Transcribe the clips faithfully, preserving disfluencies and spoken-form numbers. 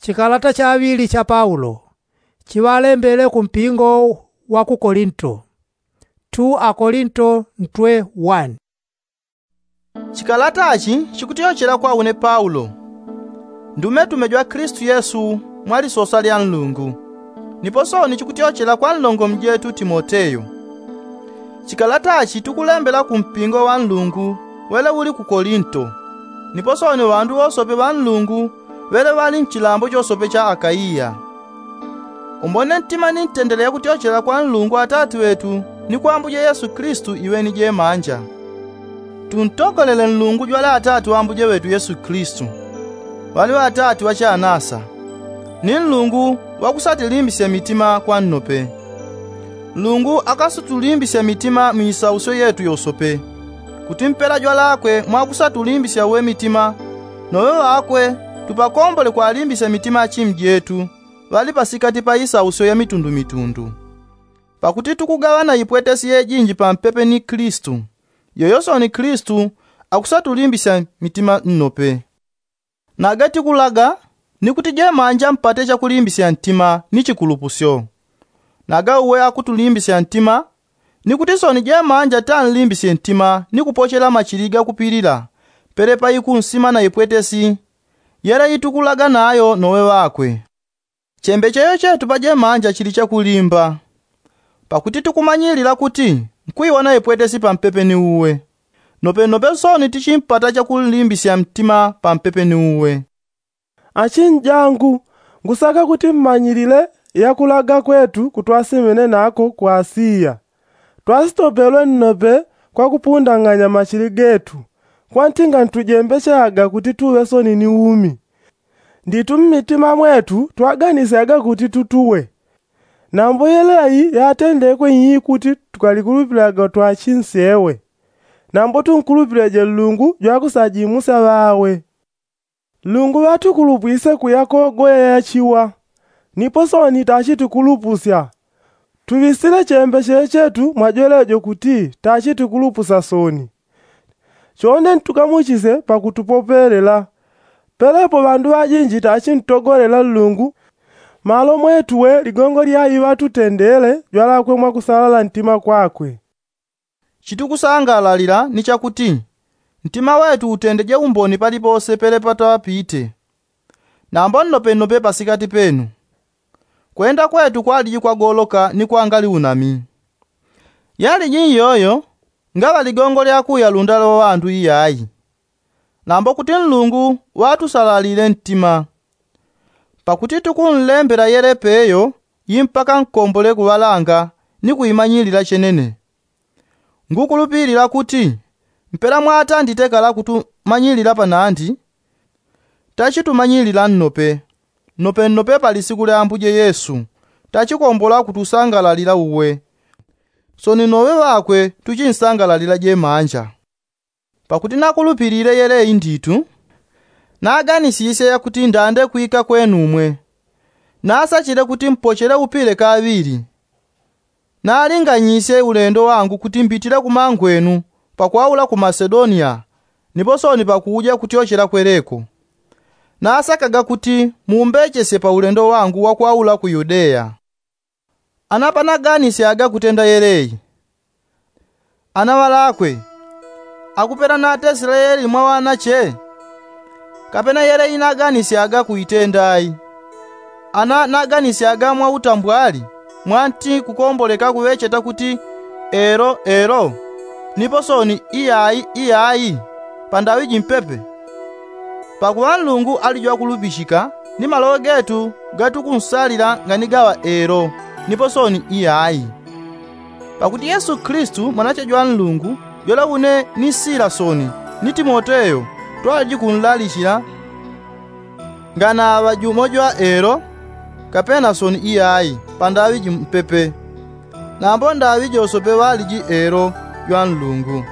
Chikalata chaŵili cha paulo chiŵalembele ku mpingo wa ku kolinto. Two akolinto ntwe one. Chikalata chi chikutyochela kwa une paulo, ndumetume jwa klistu yesu, mwa lisosa lya nlungu. Nipo sooni chikutyochela kwa nlongo mjetu timoteyo. Chikalata chi tukulembela ku mpingo wa nlungu wele uli ku kolinto, nipo sooni ŵandu wosope ŵa nlungu ŵele ŵali mchilambo chosope cha akaiya. Umbone ntima ni ntendele yakutyochela kwa nlungu atati ŵetu ni kwa ambuje yesu klistu iweni jemanja. Tuntogolele nlungu jwale atati ŵa ambuje ŵetu yesu klistu, ŵali ŵatati ŵa chanasa, ni nlungu ŵakusatilimbisya mitima kwa nnope. Nlungu akasatulimbisya mitima mu isausyo yetu yosope, kuti mpela jwalakwe mwakusatulimbisya uwe mitima, nowe ŵakwe tupakombole kwalimbisya mitima achimu jetu ŵali pasikati pa isausyo ya mitundumitundu. Pakuti tukugaŵana ipwetesi yejinji pampepe ni klistu, yoyo sooni klistu akusatulimbisya mitima nnope. Naga tikulaga ni kuti jemanja mpate chakulimbisya ntima ni chikulupusyo. Naga uwe akutulimbisya ntima, ni kuti sooni jemanja tanlimbisye ntima ni kupochela machili gakupilila pelepa ikunsima na ipwetesi yele itukulaga nayo nowe ŵakwe. Chembecheyo chetu pa jemanja chili chakulimba, pakuti tukumanyilila kuti nkwiwona ipwetesi pampepe ni uwe, nopenope sooni tichimpata chakunlimbisya mtima pampepe ni uwe. Achinjangu, ngusaka kuti mmanyilile yakulaga kwetu kutwasimene nako ku asiya. Twasitopelwe nnope kwa kupundang'anya machili getu, kwantinga ntujembechelaga kuti tuŵe sooni ni umi. Nditu mmitima mwetu twaganisyaga kuti tutuwe. Nambo yeleyi yatendekwe ii kuti tukalikulupilaga twachinsewe. Nambo tunkulupilije nlungu jwakusajimusya ŵawe. Nlungu ŵatukulupwise kuya kogoya yachiwa, nipo sooni tachitukulupusya. Tuŵisile chembecheyo chetu mwajwelejo kuti tachitukulupusya sooni. Chonde ntukamuchisye pakutupopelela. Pelepo ŵandu ŵajinji tachintogolela nlungu, malo mwetuwe ligongo lya iŵatutendele jwalakwe mwakusalala ntima kwakwe. Chitukusangalalila ni chakuti ntima wetu utendeje umboni palipose pelepa twapite, nambo nnopenope pasikati penu. Kwenda kwetu kwaliji kwagoloka ni kwangali unami. Yaliji iyoyo ngaŵa ligongo lya kuya lundale wa ŵandu iyayi, nambo kuti nlungu ŵatusalalile ntima. Pakuti tukunlembela yelepe yo imbaka nkombole kuŵalanga ni kuimanyilila chenene. Ngukulupilila kuti mpela mwatandite kala kutumanyilila panandi, tachitumanyilila nnope, nopenope pa lisiku lya ambuje yesu tachikombola kutusangalalila uwe. Sooni nowe ŵakwe tuchinsangalalila jemanja. Pakuti nakulupilile yeleyi nditu, naganisisye yakuti ndande kwika kwenumwe. Nasachile kuti mpochele upile kaŵili. Nalinganyisye ulendo wangu kuti mbitile kumangwenu pakwaula ku masedoniya, nipo sooni pakuja kutyochela kweleko. Nasakaga kuti mumbechesye pa ulendo wangu wakwaula ku yudeya. Ana panaganisyaga kutenda yeleyi, ana ŵalakwe, akupela natesile yeleyi mwa ŵanache? Kapena yeleyi naganisyaga kuitenda ai? Ana naganisyaga mwa utambwali, mwanti kukomboleka kuŵecheta kuti elo elo, nipo sooni iyayi iyayi, pandaŵi jimpepe? Pakuŵa nlungu ali jwakulupichika, ni maloŵe getu gatukunsalila nganigaŵa elo nipo sooni iyayi. Pakuti yesu klistu mwanache jwa nlungu, jwele une ni sila sooni ni timoteyo twaliji kunlalichila, nganaŵa jumo jwa elo, kapena sooni iyayi pandaŵi jimpepe. Nambo ndaŵi josope ŵaliji elo jwa nlungu.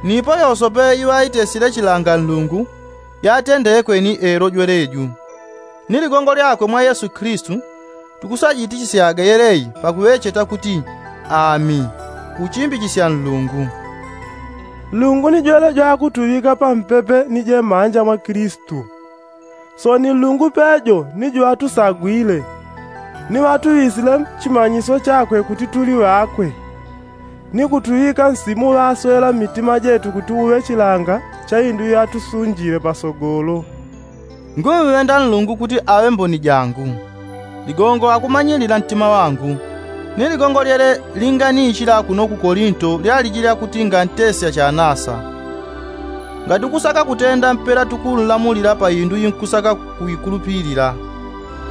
Nipo yosope iŵaitesile chilanga nlungu, yatendekwe ni elo jweleju. Ni ligongo lyakwe mwa yesu klistu tukusajitichisyaga yeleyi pakuŵecheta kuti ami, kuchimbichisya nlungu. Nlungu ni jwele jwakutuŵika pampepe ni jemanja mwa klistu. Sooni nlungu pejo ni jwatusagwile, ni ŵatuŵisile chimanyisyo chakwe kuti tuli ŵakwe, ni kutuŵika nsimu ŵaswela mmitima jetu kuti uŵe chilanga cha indu iyo atusunjile pasogolo. Ngumŵenda nlungu kuti aŵe mboni jangu. Ligongo akumanyilila ntima wangu. Ni ligongo lyele linganichila kuno ku kolinto lyaliji lyakuti ngantesya chanasa. Ngati kusaka kutenda mpela tukunlamulila pa indu inkusaka kuikulupilila.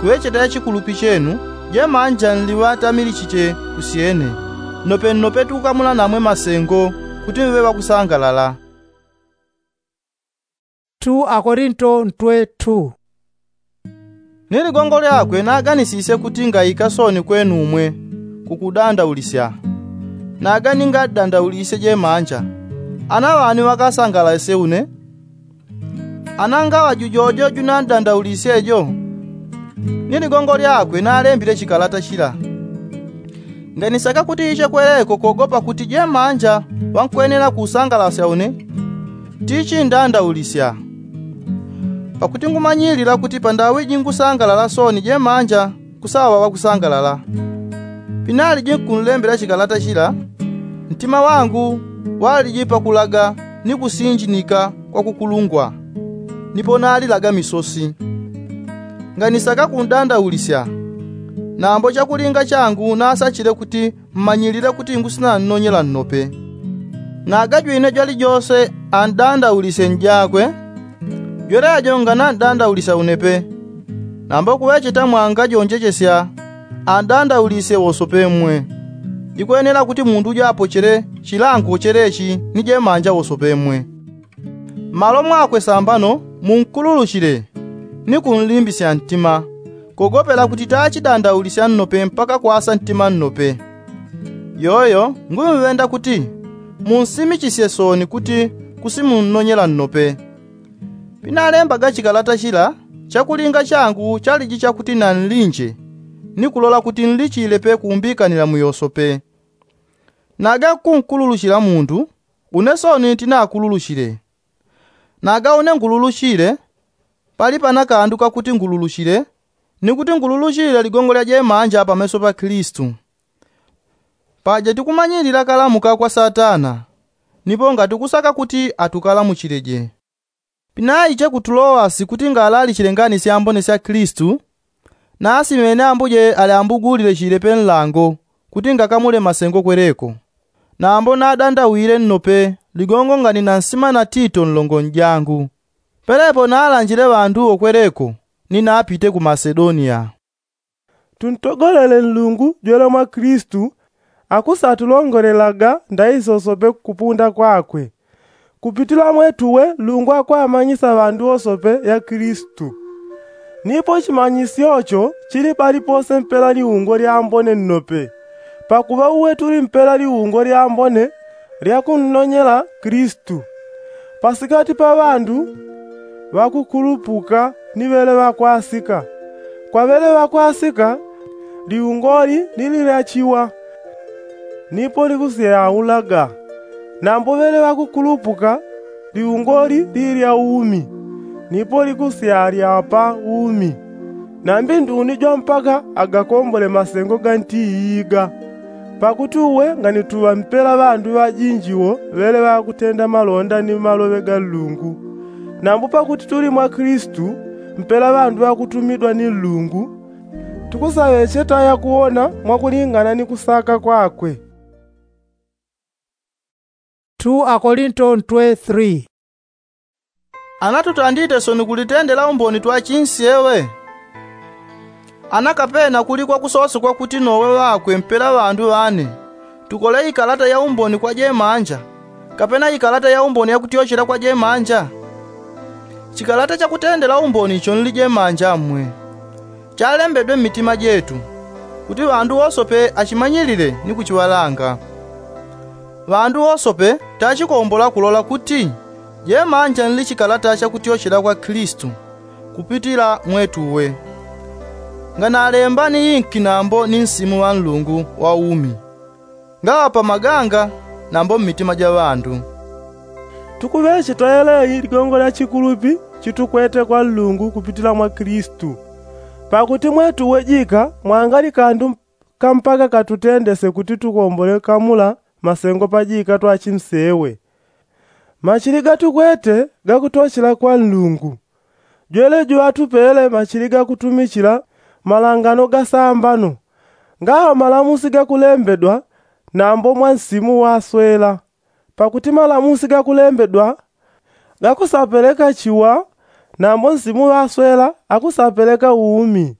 Kuŵecheta ya chikulupi chenu, jemanja nliŵatamilichiche kusyene. Nnope nnope tukukamula namwe masengo kuti mŵe ŵakusangalala. Ni ligongo lyakwe naganisisye kuti ngaika sooni kwenu umwe kukudandaulisya. Naga ningadandaulisye jemanja, ana ŵani ŵakasangalasye une? Ana ngaŵa jujojo junandandaulisye jo? Ni ligongo lyakwe nalembile chikalata chila. Nganisaka kuti iche kwereko kogopa kuti jemanja ŵankwenela kusangalasya une, tichindandaulisya. Pakuti ngumanyilila kuti pandaŵi jingusangalala sooni jemanja kusaŵa ŵakusangalala. Pinaliji nkunlembela chikalata chila, ntima wangu waliji pakulaga ni kusinjinika kwa kukulungwa, nipo nalilaga misosi. Nganisaka kundandaulisya, nambo chakulinga changu nasachile kuti mmanyilile kuti ngusinannonyela nnope. Naga jwine jwalijose andandaulisye njakwe, jwelejo nganandandaulisya une pe. Nambo kuŵecheta mwangajonjechesya, andandaulisye wose pe mmwe. Jikwenela kuti mundu ujo apochele chilango chelechi ni jemanja wose pe mmwe. Mmalo mwakwe sambano munkululuchile ni kunlimbisya ntima, kogopela kuti tachidandaulisya nnope mpaka kwasa ntima nnope. Yoyo ngumŵenda kuti munsimichisye sooni kuti kusimunnonyela nnope. Pinalembaga chikalata chila, chakulinga changu chaliji chakuti nanlinje ni kulola kuti nlichile pe kumbikanila mu yose pe. Naga nkunkululuchila mundu, une sooni tinakululuchile. Naga une ngululuchile, pali pana kandu kakuti ngululuchile, ni kuti ngululuchile ligongo lya jemanja pameso pa Kilisitu. Paja tikumanyilila kalamuka kwa Satana, nipo ngati kusaka kuti atukalamuchileje. Pinaiche ku Tulowasi kuti ngalalichile ngani syambone sya Kilisitu, nasimene Ambuje alyambugulile chile pe nlango kuti ngakamule masengo kwereko. Nambo nadandawile nnope ligongo ngani na nsima na Tito nlongo njangu. Pelepo nalanjile ŵandu wo kwereko ni napite ku Masedoniya. Tuntogolele Nlungu jwele mwa Kilisitu akusatulongolelaga ndai sosope kupunda kwakwe. Kupitila mwetuwe Nlungu akwamanyisa ŵandu wosope ya Kilisitu. Nipo chimanyisyo cho chili palipose mpela liungo lyambone nnope, pakuŵa uwe tuli mpela liungo lyambone lya kunnonyela Kilisitu. Pasikati pa ŵandu ŵakukulupuka ni ŵele ŵakwasika, kwa ŵele ŵakwasika liungoli ni lilya chiwa, nipo likusyayaulaga. Nambo ŵele ŵakukulupuka liungoli lilya umi, nipo likusyalyapa umi. Nambi nduni jwa mpaka agakombole masengo ga nti iiga. Pakuti uwe nganituŵa mpela ŵandu ŵajinji wo ŵele ŵakutenda malonda ni maloŵe ga Nlungu. Nambo pakuti tuli mwa Kilisitu, mpela ŵandu ŵakutumidwa ni Nlungu, tukusaŵecheta yakuwona mwakulingana ni kusaka kwakwe. Two Akolinto ntwe three. Ana tutandite soni kulitendela umboni twachinsi ewe? Ana kapena kuli kwakusosekwa kuti nowe ŵakwe mpela ŵandu ŵane tukole ikalata ya umboni kwa jemanja, kapena ikalata ya umboni yakutyochela kwa jemanja? Chikalata chakutendela umboni icho nli jemanja mmwe, chalembedwe mmitima jetu, kuti ŵandu wosope achimanyilile ni kuchiŵalanga. Ŵandu wosope tachikombola kulola kuti jemanja nli chikalata chakutyochela kwa Kilisitu kupitila mwetuwe. Nganalemba ni inki nambo ni nsimu wa Nlungu wa umi, ngaŵa pa maganga nambo mmitima ja ŵandu. Tukuŵecheta yeleyi ligongo lya chikulupi chitukwete kwa nlungu kupitila mwa kilistu. Pakuti mwetu wejika mwangali kandu kampaka katutendese kuti tukombole kamula masengo pajika twachimsewe. Machili gatukwete gakutochela kwa nlungu. Jwele juŵatupele machili gakutumichila malangano gasambano, ngaŵa malamusi gakulembedwa nambo mwa nsimu waswela. Pakuti malamusi gakulembedwa gakusapeleka chiwa, nambo nsimu waswela akusapeleka umi.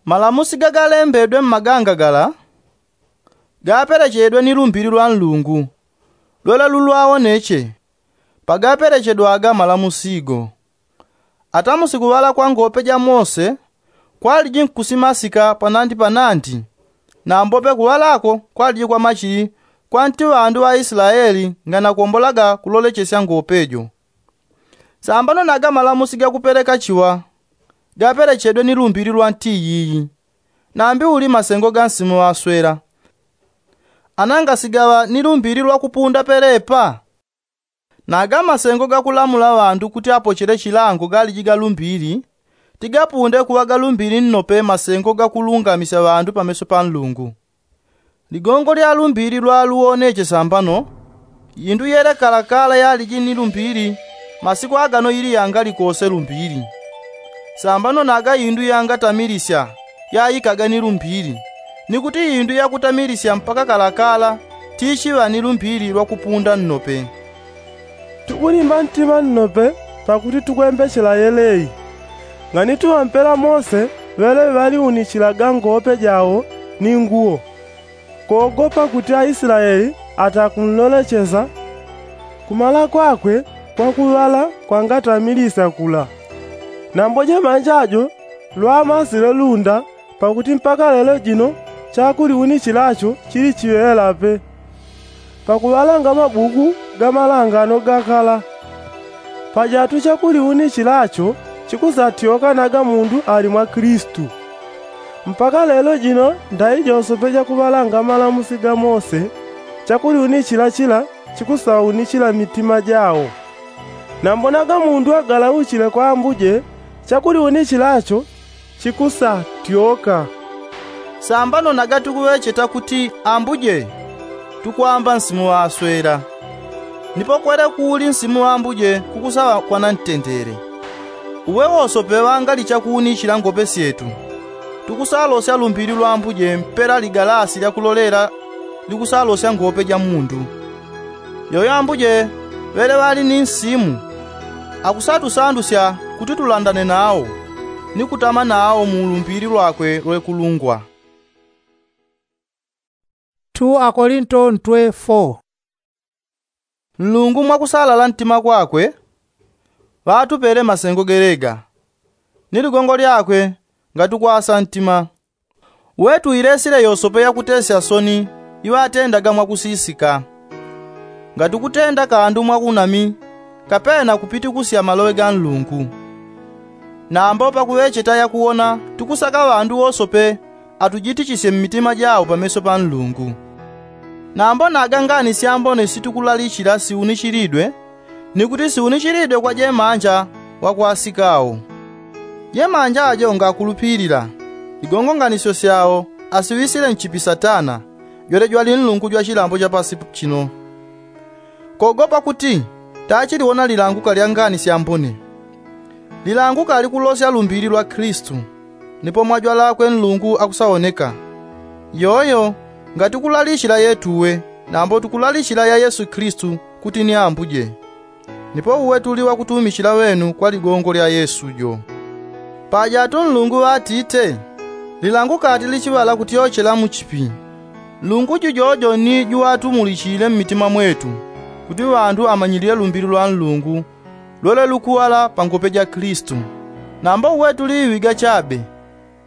Malamusi gagalembedwe mmaganga gala gapelechedwe ni lumbili lwa nlungu lwela lulwawoneche. Pagapelechedwaga malamusi go, atamusi kuŵala kwa ngope ja mose kwaliji nkusimasika panandi panandi, nambope kuŵalako kwaliji kwa machili kwanti ŵandu ŵa islaeli nganakombolaga kulolechesya ngope jo. Sambano naga malamusi gakupeleka chiwa gapelechedwe ni lumbili lwa nti yiyi. Nambi uli masengo ga nsimu ŵaswela anangasigaŵa ni lumbili lwakupunda pelepa? Naga masengo gakulamula ŵandu kuti apochele chilango galiji ga lumbili tigapunde kuŵa ga lumbili nnope masengo gakulungamisya ŵandu pameso pa nlungu. Ligongo lya lumbili lwaluwoneche sambano. Indu yelekalakala yaliji ni lumbili masiku agano ili yangali kose lumbili. Sambano naga indu yangatamilisya yaikaga ni lumbili, ni kuti indu yakutamilisya mpaka kalakala tichiŵa ni lumbili lwakupunda nnope. Tukulimba ntima nnope pakuti tukwembechela yeleyi. Ngani tuŵampela mose ŵele ŵaliunichilaga ngope jawo ni nguwo, kogopa kuti aislaeli atakunlolechesa. Kumala kwakwe kwakuŵala kwangatamilisya kula. Nambo jemanja jo lwamasile lunda pakuti mpaka lelo jino chakuliunichilacho chili chiŵelape. Pakuŵalanga mabuku ga malangano gakala. Pajatu chakuliunichilacho chikusatyoka naga mundu ali mwa kilistu. Mpaka lelo jino ndai josope jakuŵalanga malamusi ga mose chakuliunichila chila chikusaunichila mitima jawo. Nambo naga mundu agalauchile kwa ambuje chakuliunichilacho chikusatyoka. Sambano naga tukuŵecheta kuti ambuje tukwamba nsimu ŵaswela. Nipo kwele kuuli nsimu ŵambuje kukusaŵa kwanantendele. Uwe wosope ŵangali chakuunichila ngope syetu tukusalosya lumbili lwambuje mpela ligalasi lyakulolela likusalosya ngope ja mundu. Yoyo ambuje ŵele ŵali ni nsimu akusatusandusya kuti tulandane nawo ni kutama nawo mu lumbili lwakwe lwekulungwa. Akolinto ntwe four. Nlungu mwakusalala ntima kwakwe ŵatupele masengo gelega ni ligongo lyakwe. Ngatukwasa ntima wetu ilesile yosope yakutesya soni iŵatendaga mwakusisika. Ngatukutenda kandu mwaunami kapena kupitikusya maloŵe ga nlungu. Nambo pakuŵecheta yakuwona tukusaka ŵandu wosope atujitichisye mmitima jawo pameso pa nlungu. Nambo naga ngani syambone situkulalichila siunichilidwe ni kuti siunichilidwe kwa jemanja wakwasikawo. Jemanja ajo ngakulupilila igongonganisyo syawo asiŵisile nchipi satana jwele jwali nlungu jwa chilambo cha pasi chino. Kogopa kuti tachiliwona lilanguka lya ngani syambone. Lilanguka likulosya lumbili lwa kilistu nipo mwajwalakwe nlungu akusaoneka. Yoyo ngati kulalichila yetuwe nambo tukulalichila ya yesu kilistu kuti ni ambuje. Nipo uwe tuli wakutumichila ŵenu kwa ligongo lya yesu jo. Paja atu nlungu ŵatite lilanguka ati lichiŵala kutyochela muchipi. Nlungu jujojo ni juŵatumulichile mmitima mwetu kuti ŵandu amanyilile lumbili lwa nlungu lwele lukuŵala pangope ja kilistu. Nambo uwe tuli iŵiga chabe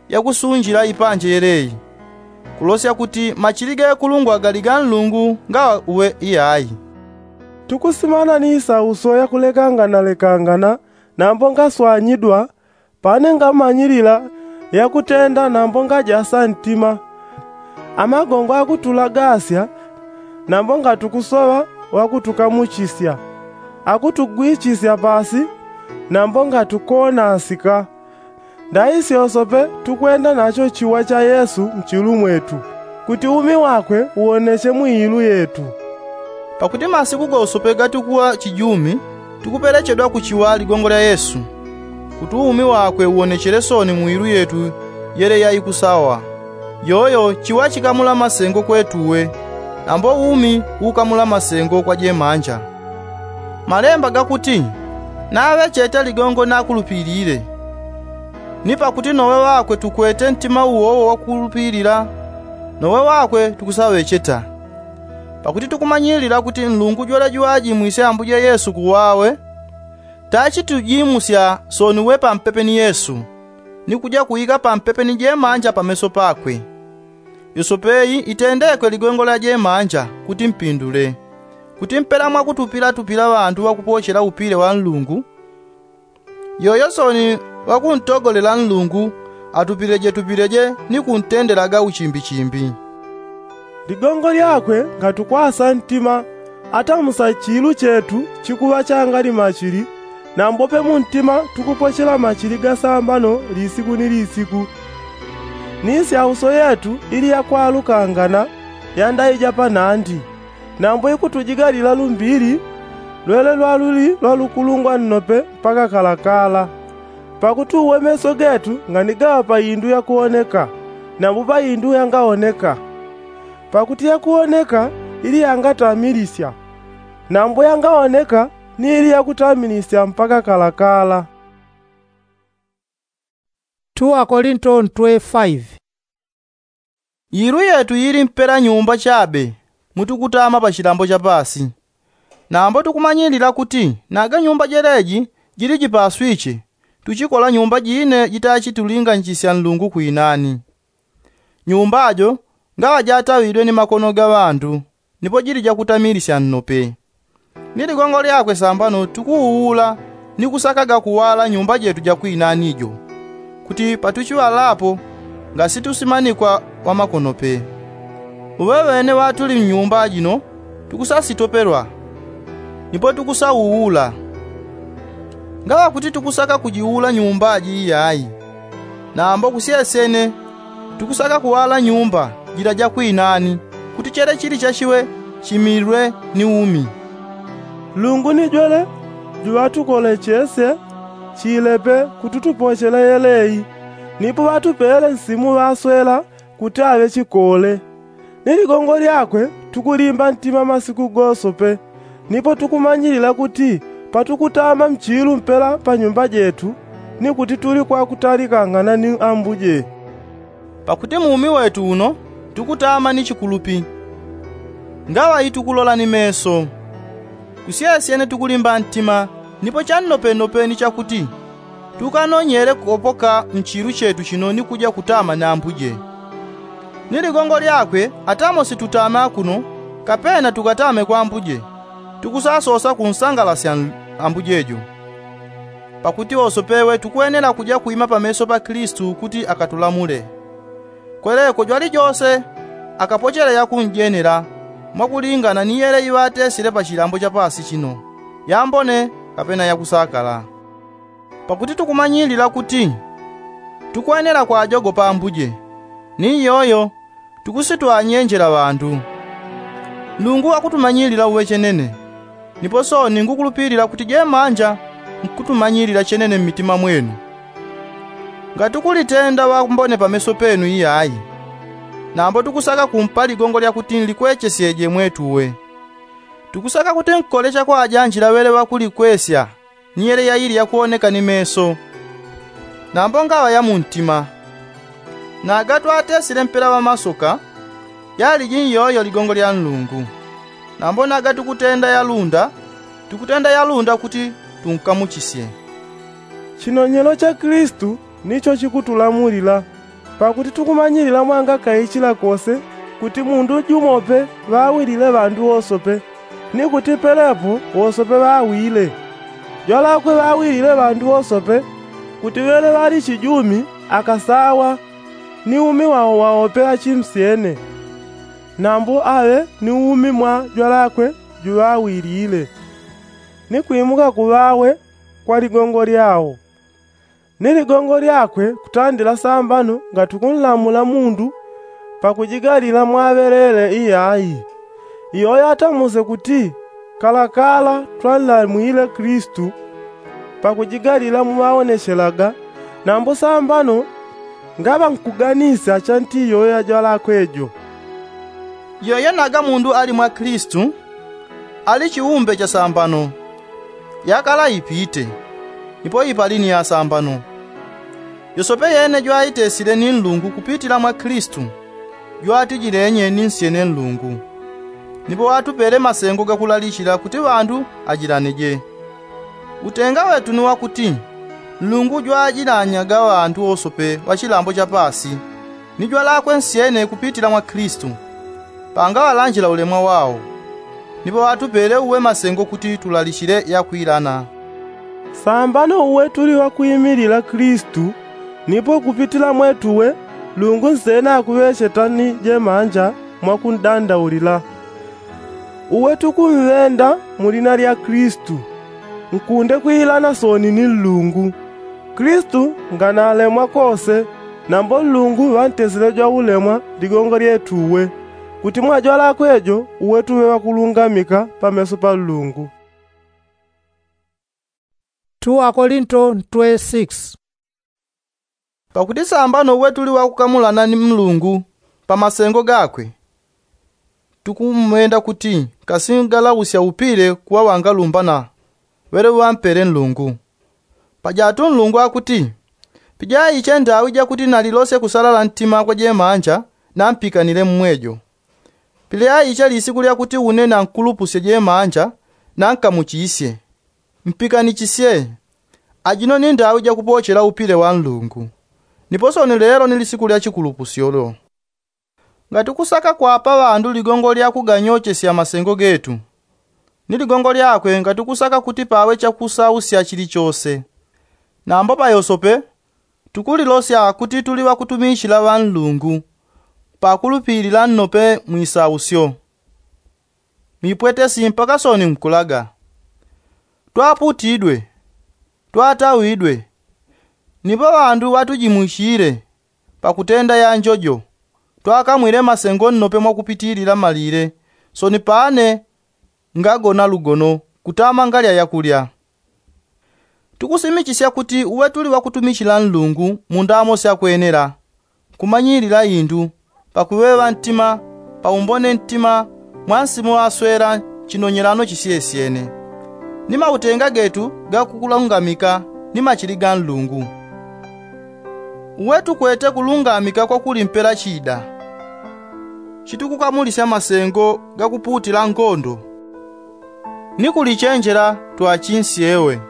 yakusunjila ipanje yeleyi kulosya kuti machili gekulungwa gali ga nlungu ngawa uwe iyayi. Tukusimana ni isauso yakulekanganalekangana nambo ngaswanyidwa. Pane ngamanyilila yakutenda nambo ngajasa ntima. Amagongo akutulagasya nambo ngatukusoŵa wakutukamuchisya akutugwichisya pasi. nambo ngatukonasika. Ndaisyosope tukwenda nacho chiwa cha yesu mchilu mwetu, kuti umi wakwe uwoneche mwiilu yetu. Pakuti masiku gosope gatukuwa chijumi, tukuperechedwa kuchiwa ligongo lya yesu, kuti umi wakwe uwonechele soni mwiilu yetu yele yaikusawa. Yoyo chiwa chikamula masengo kwetuwe, nambo umi ukamula masengo kwa jemanja. Malemba gakuti, naŵecheta ligongo nakulupilile. Ni pakuti nowe wakwe tukwete ntima uwowo wakulupilila, nowe wakwe tukusaŵecheta. Pakuti tukumanyilila kuti nlungu jwele jwajimwisye ambuje yesu kuwawe, tachi tujimusya soni we pampepe ni yesu, ni kuja kuika pampepe ni jemanja pameso pakwe. Yosope iyi itendekwe ligongo lya jemanja, kuti mpindule, kuti mpela mwakutupila tupila ŵandu ŵakupochela upile wa nlungu, yoyo soni ŵakuntogolela nlungu atupileje tupileje ni kuntendelaga uchimbichimbi. Ligongo lyakwe ngatukwasa ntima, atamusa chilu chetu chikuŵa changali machili, nambope muntima tukupochela machili gasambano lisiku ni lisiku. Ni syauso yetu ili yakwalukangana yandaija panandi, nambo ikutujigalila lumbili lwele lwaluli lwalukulungwa nnope mpaka kalakala. Pakuti uwe meso getu nganigaŵa pa indu yakuwoneka, nambo pa indu yangaoneka. Pakuti yakuwoneka ili yangatamilisya, nambo yangaoneka ni ili yakutamilisya mpaka kalakala. Tuwakolinto ntwe faive. Ilu yetu yili mpela nyumba chabe, mutukutama pa chilambo cha pasi. Nambo tukumanyilila kuti naga nyumba jeleji jili jipaswiche, tuchikola nyumba jine jitachi tulinganchisya nlungu kwinani. Nyumba jo ngaŵa jatawidwe ni makono ga ŵandu, nipo jili jakutamilisya nnope. Ni ligongo lyakwe sambano tukuuula ni kusakaga kuwala nyumba jetu jakwinani jo, kuti patuchiŵalapo ngasitusimanikwa wamakono pe. Uŵeŵene ŵatuli mnyumba jino tukusasitopelwa, nipo tukusauula. Ngaŵa kuti tukusaka kujiula nyumba ji iyayi, nambo kusyesyene tukusaka kuwala nyumba jila jakwinani, kuti chele chili chachiwe chimilwe ni umi. Nlungu ni jwele juŵatukolechesye chilepe kuti tupochele yeleyi, nipo ŵatupele nsimu ŵaswela kuti aŵe chikole. Ni ligongo lyakwe tukulimba ntima masiku gosope, nipo tukumanyilila kuti patukutama mchilu mpela pa nyumba jetu, ni kuti tuli kwakutalikangana ni ambuje. Pakuti mu umi wetu uno tukutama ni chikulupi, ngaŵa itukulola ni meso. Kusyesyene tukulimba ntima, nipo channopenope ni chakuti tukanonyele kukopoka mchilu chetu chino ni kuja kutama ni ambuje. Ni ligongo lyakwe atamo situtama kuno, kapena tukatame kwa ambuje, tukusasosa kunsangalasya ambuje jo. Pakuti wosope we tukwenela kuja kwima pameso pa kilisitu kuti akatulamule. Kweleko jwalijose akapochele yakunjenela, mwakulingana ni yele iŵatesile pa chilambo cha pasi chino, yambone kapena yakusakala. Pakuti tukumanyilila kuti tukwenela kwajogopa ambuje, ni iyoyo tukusitwanyenjela ŵandu. Nlungu wakutumanyilila uŵechenene, nipo sooni ngukulupilila kuti jemanja nkutumanyilila chenene mmitima mwenu. Ngatukulitenda wambone pameso penu iyayi, nambo tukusaka kumpa ligongo lyakuti nlikwechesyeje mwetuwe. Tukusaka kuti nkole chakwajanjila ŵele ŵakulikwesya ni yele yaili yakuwoneka ni meso, nambo ngaŵa ya muntima. Naga twatesile mpela ŵamasoka, yaliji nyoyo ligongo lya nlungu. Nambo naga tukutenda yalunda, tukutenda yalunda kuti tunkamuchisye. Chinonyelo cha kilisitu nicho chikutulamulila, pakuti tukumanyilila mwangakaichila kose kuti mundu jumope ŵawilile ŵandu wosope, ni kuti pelepo wosope ŵawile. Jwalakwe ŵawilile ŵandu wosope, kuti ŵele ŵali chijumi akasawa, ni umi wao waope achimsyene, nambo aŵe ni umi mwa jwalakwe juŵawilile. Ni kwimuka kuŵawe kwa ligongo lyao. Ni ligongo lyakwe kutandila sambano ngati kunlamula mundu pakujigalila mwaŵelele iyayi. Iyoyo atamuse kuti kalakala twanlamwile kilisitu pakujigalila muŵaonechelaga, nambo sambano ngaŵa nkuganisya chanti iyoyo yajwalakwe jo. Iyoyo naga mundu ali mwa kilisitu ali chiumbe cha sambano. Yakala ipite, nipo ipali ni ya sambano. Yosope yene jwaitesile ni nlungu kupitila mwa kilisitu, jwatijilenye ni nsyene nlungu. Nipo ŵatupele masengo gakulalichila kuti ŵandu ajilaneje. Utenga wetu ni wakuti nlungu jwajilanyaga ŵandu wosope ŵa chilambo cha paasi ni jwalakwe nsyene kupitila mwa kilisitu, pangaŵalanjila ulemwa wao. Nipo ŵatupele uwe masengo kuti tulalichile yakwilana. Sambano uwe tuli ŵakwimilila kilisitu, nipo kupitila mwetu uwe nlungu nsena akuŵecheta ni jemanja mwakundandaulila. Uwe tukumvenda mu lina lya kilisitu, nkunde kwilana soni ni nlungu. Kilisitu nganalemwa kose, nambo nlungu ŵantesile jwaulemwa ligongo lyetu uwe, kuti mwajwalakwe jo uwe tuŵe ŵakulungamika pameso pa nlungu. Pakuti sambano uwe tuli ŵakukamulana ni nlungu pa masengo gakwe, tukumwenda kuti kasi ngalausya upile kuŵa ŵangalumbana ŵele ŵampele nlungu. Pajatu nlungu akuti, pijaiche ndawi jakuti nalilosye kusalala ntima kwa jemanja, nampikanile mmwejo. Pilyaiche lisiku lyakuti une nankulupusye jemanja, nankamuchisye. Mpikanichisye. Ajino ni ndawi jakupochela upile wa nlungu. Nipo soni lelo ni lisiku lya chikulupusyo lyo. Ngati kusaka kwapa ŵandu ligongo lya kuganyochesya masengo getu, ni ligongo lyakwe ngati kusaka kuti paŵe chakusausya chilichose. Nambo payosope tukulilosya kuti tuli ŵakutumichila ŵa nlungu pakulupilila nnope mwisausyo. Mipwetesi mpaka soni nkulaga. Twaputidwe, twatawidwe, nipo ŵandu ŵatujimwichile pakutenda yanjojo. Twakamwile masengo nnope mwakupitilila malile, soni pane ngagona lugono kutama ngalya yakulya. Tukusimichisya kuti uwe tuli ŵakutumichila nlungu mu ndamo syakwenela, kumanyilila indu, pakuŵeŵa ntima, paumbone ntima, mwa nsimu ŵaswela chinonyelano chisyesyene, ni mautenga getu gakukulungamika ni machili ga nlungu. Uwe tukwete kulungamika kwakulimpela chida, chitukukamulisya masengo gakupuutila ngondo. Ni kulichenjela twachinsyewe.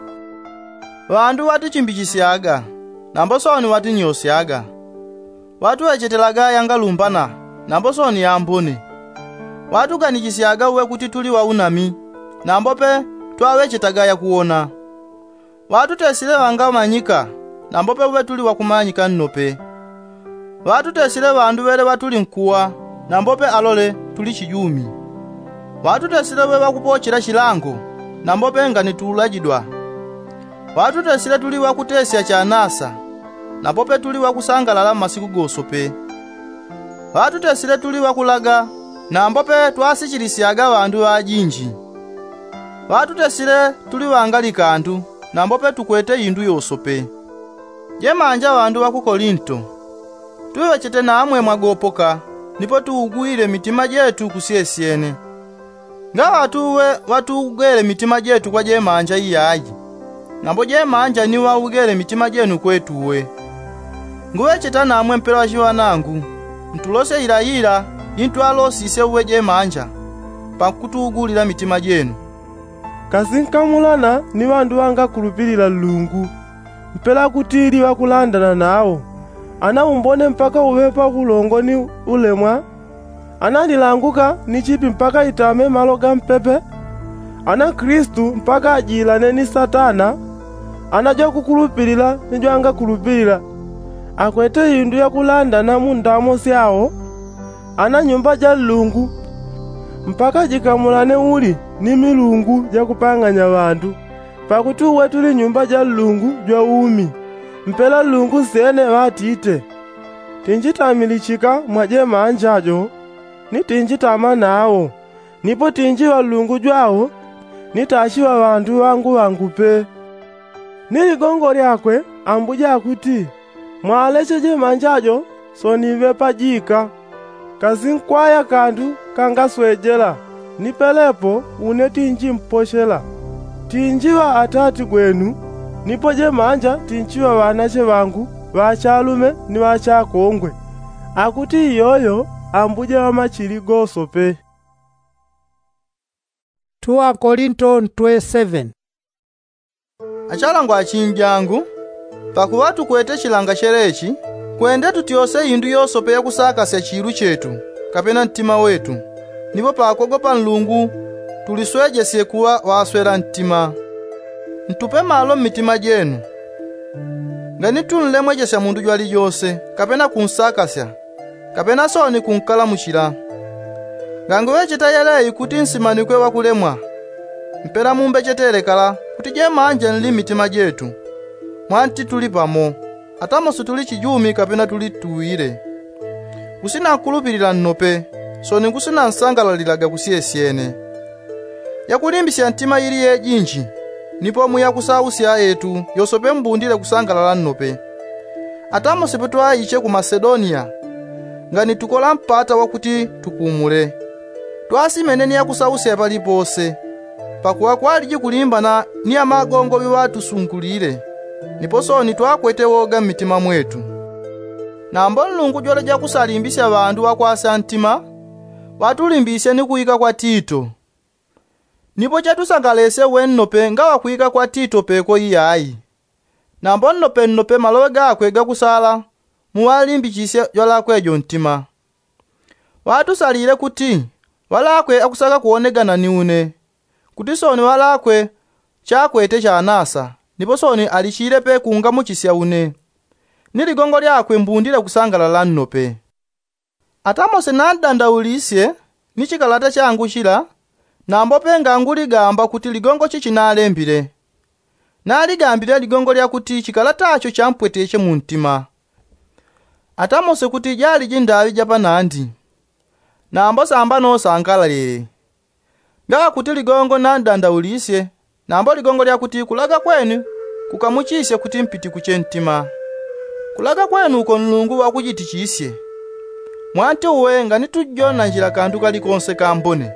Ŵandu ŵatichimbichisyaga, nambo soni ŵatinyosyaga. Ŵatuŵechetelaga yangalumbana, nambo soni yambone. Ŵatuganichisyaga uwe kuti tuli ŵaunami, nambo pe twaŵechetaga yakuwona. Ŵatutesile ŵangamanyika, nambo pe uŵe tuli ŵakumanyika nnope. Ŵatutesile ŵandu ŵele ŵatuli nkuwa, nambo pe alole tuli chijumi. Ŵatutesile uŵe ŵakupochela chilango, nambo pe nganitulajidwa. Ŵatutesile tuli ŵakutesya chanasa, nambo pe tuli ŵakusangalala mmasiku gosope. Ŵatutesile tuli ŵakulaga, nambo pe twasichilisyaga ŵandu ŵajinji. Ŵatutesile tuli ŵangalikandu, nambo pe tukwete indu yosope. Jemanja ŵandu ŵa ku Kolinto, tuŵechete namwe mwagopoka, nipo tuugwile mitima jetu kusyesyene. Ngaŵa tuwe ŵatuugwele mitima jetu kwa jemanja iyayi, nambo jemanja ni ŵaugele mitima jenu kwetu uwe. Nguŵecheta namwe mpela ŵachiŵanangu, ntulosye yila yila intwalosisye uwe jemanja, pakutuugulila mitima jenu. Kasi nkamulana ni ŵandu ŵangakulupilila Nlungu, mpela kuti ili ŵakulandana nawo, ana umbone mpaka uŵe pa ulongo ni ulemwa, ana lilanguka ni chipi mpaka itame malo ga mpepe, ana Kilisitu mpaka ajilane ni Satana, ana jwakukulupilila ni jwangakulupilila akwete indu yakulandana mu ndamo syao, ana nyumba ja Nlungu mpaka jikamulane uli ni milungu jakupang'anya ŵandu, Pakuti uwe tuli nyumba ja nlungu jwa umi, mpela nlungu nsyene ŵatite, tinjitamilichika mwa jemanja jo, ni tinjitama nawo, nipo tinjiŵa nlungu jwawo, ni tachiŵa ŵandu ŵangu ŵangu pe. Ni ligongo lyakwe ambuja akuti, mwaleche jemanja jo soniŵe pajika, kasinkwaya kandu kangaswejela, ni pelepo une tinjimpochela. Tinjiŵa atati gwenu, nipo jemanja tinchiŵa ŵanache ŵangu ŵachalume ni ŵachakongwe, akuti iyoyo ambuja ŵamachili gosope. Achalangwa achinjangu, pakuŵa tukwete chilanga chelechi, kwende tutyose indu yosope yakusakasya chilu chetu, kapena ntima wetu, nipo pakogopa nlungu tuliswejesye kuŵa ŵaswela ntima. Ntupe malo mmitima jenu. Ngani tunlemwechesya mundu jwalijose, kapena kunsakasya, kapena sooni kunkalamuchila. Ngangu ŵecheta yeleyi kuti nsimanikwe ŵakulemwa, mpela mumbechetele kala kuti jemanja nli mmitima jetu, mwanti tuli pamo, atamosi tuli chijumi kapena tuli tuwile. Kusina nkulupilila nnope, sooni kusina nsangalalilaga kusyesyene. Yakulimbisya ntima ili yejinji, nipo muyakusausya etu yosope mbundile kusangalala nnope. Atamosi petwaiche ku masedonia, ngani tukola mpata wakuti tupumule, twasimene ni yakusausya palipose, pakuŵa kwaliji kulimbana ni amagongo ŵiŵatusungulile, nipo sooni twakwete woga mmitima mwetu. Nambo nlungu jwaleja kusalimbisya ŵandu ŵakwasya ntima, ŵatulimbisye ni kuwika kwa tito. Nipo chatusangalesye uwe nnope ngaŵa kuwika kwa tito peko iyayi. Nambo nnope nnope maloŵe gakwe gakusala muŵalimbichisye jwalakwe jo ntima. Ŵatusalile kuti ŵalakwe akusaka kuwonegana ni une, kuti sooni ŵalakwe chakwete chanasa, nipo sooni alichile pe kungamuchisya une, ni ligongo lyakwe mbundile kusangalala nnope. Atamosi nandandaulisye ni chikalata changu chila, nambo pe nganguligamba kuti ligongo chichi nalembile. Naligambile ligongo lyakuti chikalata cho champweteche muntima. Atamosi kuti jaliji ndaŵi japanandi, nambo sambano sangalalile. Ngaŵa kuti ligongo nandandaulisye, nambo ligongo lyakuti kulaga kwenu kukamuchisye kuti mpitikuche ntima. Kulaga kwenu uko nlungu ŵakujitichisye, mwanti uwe nganitujonanjila kandu kalikonse kambone.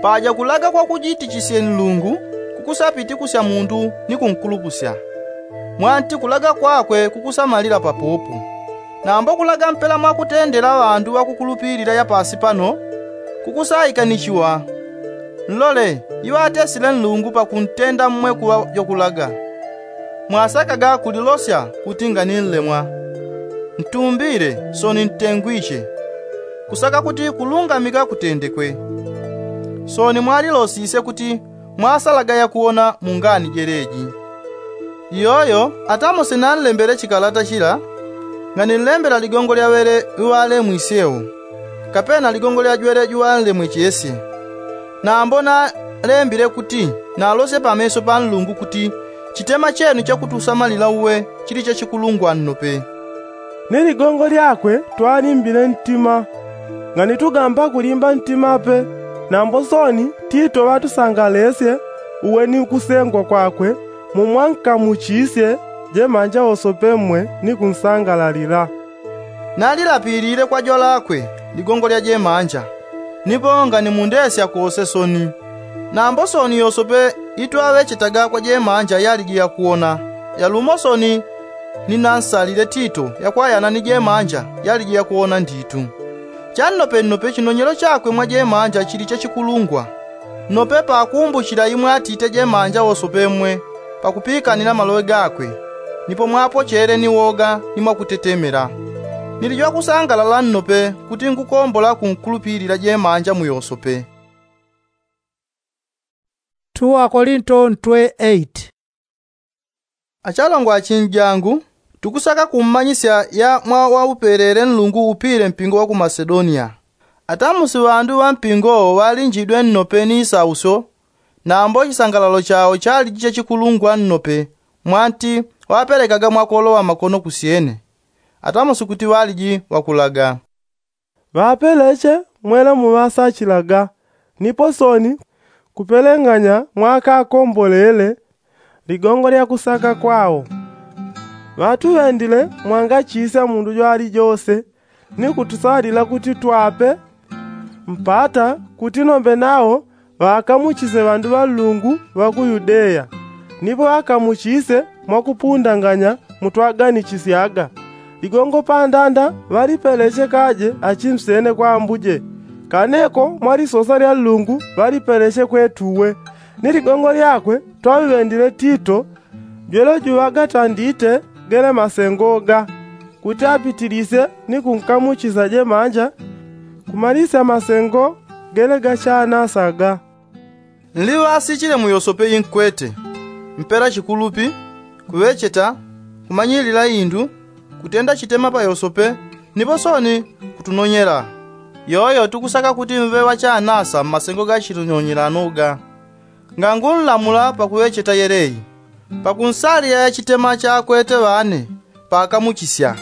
Paja kulaga kwakujitichisye nlungu kukusapitikusya mundu ni kunkulupusya, mwanti kulaga kwakwe kukusamalila papopo. Nambo kulaga mpela mwakutendela ŵandu ŵakukulupilila yapasi pano kukusaikanichiwa. Nlole iŵatesile nlungu pakuntenda mmwe kuŵa jwakulaga. Mwasakaga kulilosya kuti ngani nlemwa, ntumbile sooni ntengwiche, kusaka kuti kulungamika kutendekwe. Sooni mwalilosisye kuti mwasalaga yakuwona mu ngani jeleji. Iyoyo atamosi nanlembele chikalata chila, ngani nlembela ligongo lya ŵele ŵiŵalemwisye wo, kapena ligongo lya jwele jwanlemwechesye. Nambo nalembile kuti nalosye pameso pa nlungu kuti chitema chenu chakutusamalila uwe chili chachikulungwa nnope. Ni ligongo lyakwe twalimbile ntima, ngani tugamba kulimba ntima pe. Nambo sooni tito ŵatusangalesye uwe ni kusengwa kwakwe, mumwankamuchisye jemanja wosope mmwe ni kunsangalalila. Nalilapilile kwa jwalakwe ligongo lya jemanja, nipo ngani mundesya kose sooni. Nambo sooni yosope itwaŵechetaga kwa jemanja yaliji yakuwona, yalumo sooni ninansalile tito yakwayana ni jemanja yaliji yakuwona nditu. Channopennope chinonyelo chakwe mwa jemanja chili chachikulungwa. Nnope pakumbuchila imwe atite jemanja wosope mmwe pakupikanila maloŵe gakwe, nipo mwapochele ni woga ni mwakutetemela. Nili jwakusangalala nnope kuti ngukombola kunkulupilila jemanja muyosope. Achalongwa achinjangu, tukusaka kummanyisya ya mwawaupelele nlungu upile mpingo wa ku masedonia. Atamusi ŵandu ŵa mpingo wo ŵalinjidwe nnope ni isausyo, Nambo chisangalalo chao chaliji chachikulungwa nnope, mwanti ŵapelekaga mwakolowa makono kusyene. Atamosi kuti ŵaliji ŵakulaga. Ŵapeleche mwele muŵasachilaga, nipo sooni kupeleng'anya mwakakombolele ligongo lya kusaka kwao. Ŵatuŵendile mwangachisya mundu jwalijose, ni kutusalila kuti twape mpata kuti nombe nao ŵakamuchise ŵandu ŵa nlungu ŵa ku yudeya. Nipo ŵakamuchise mwakupundanganya mutwaganishisyaga. Ligongo pandanda ŵalipeleche kaje achimsyene kwa ambuje. Kaneko mwalisosa lya nlungu ŵalipeleche kwetuwe. Ni ligongo lyakwe twaŵendile tito jwele juŵaga tandite gele masengo ga kuti apitilisye ni kunkamuchisya jemanja kumalisya masengo gele gachanasaga. Nliŵasichile mu yosope inkwete mpela chikulupi, kuŵecheta, kumanyilila indu, kutenda chitema pa yosope, nipo sooni kutunonyela. Yoyo tukusaka kuti mŵe ŵachanasa mmasengo ga chinonyelano ga. Ngangunlamula pakuŵecheta yeleyi pakunsalila ya chitema chakwete ŵane pakamuchisya.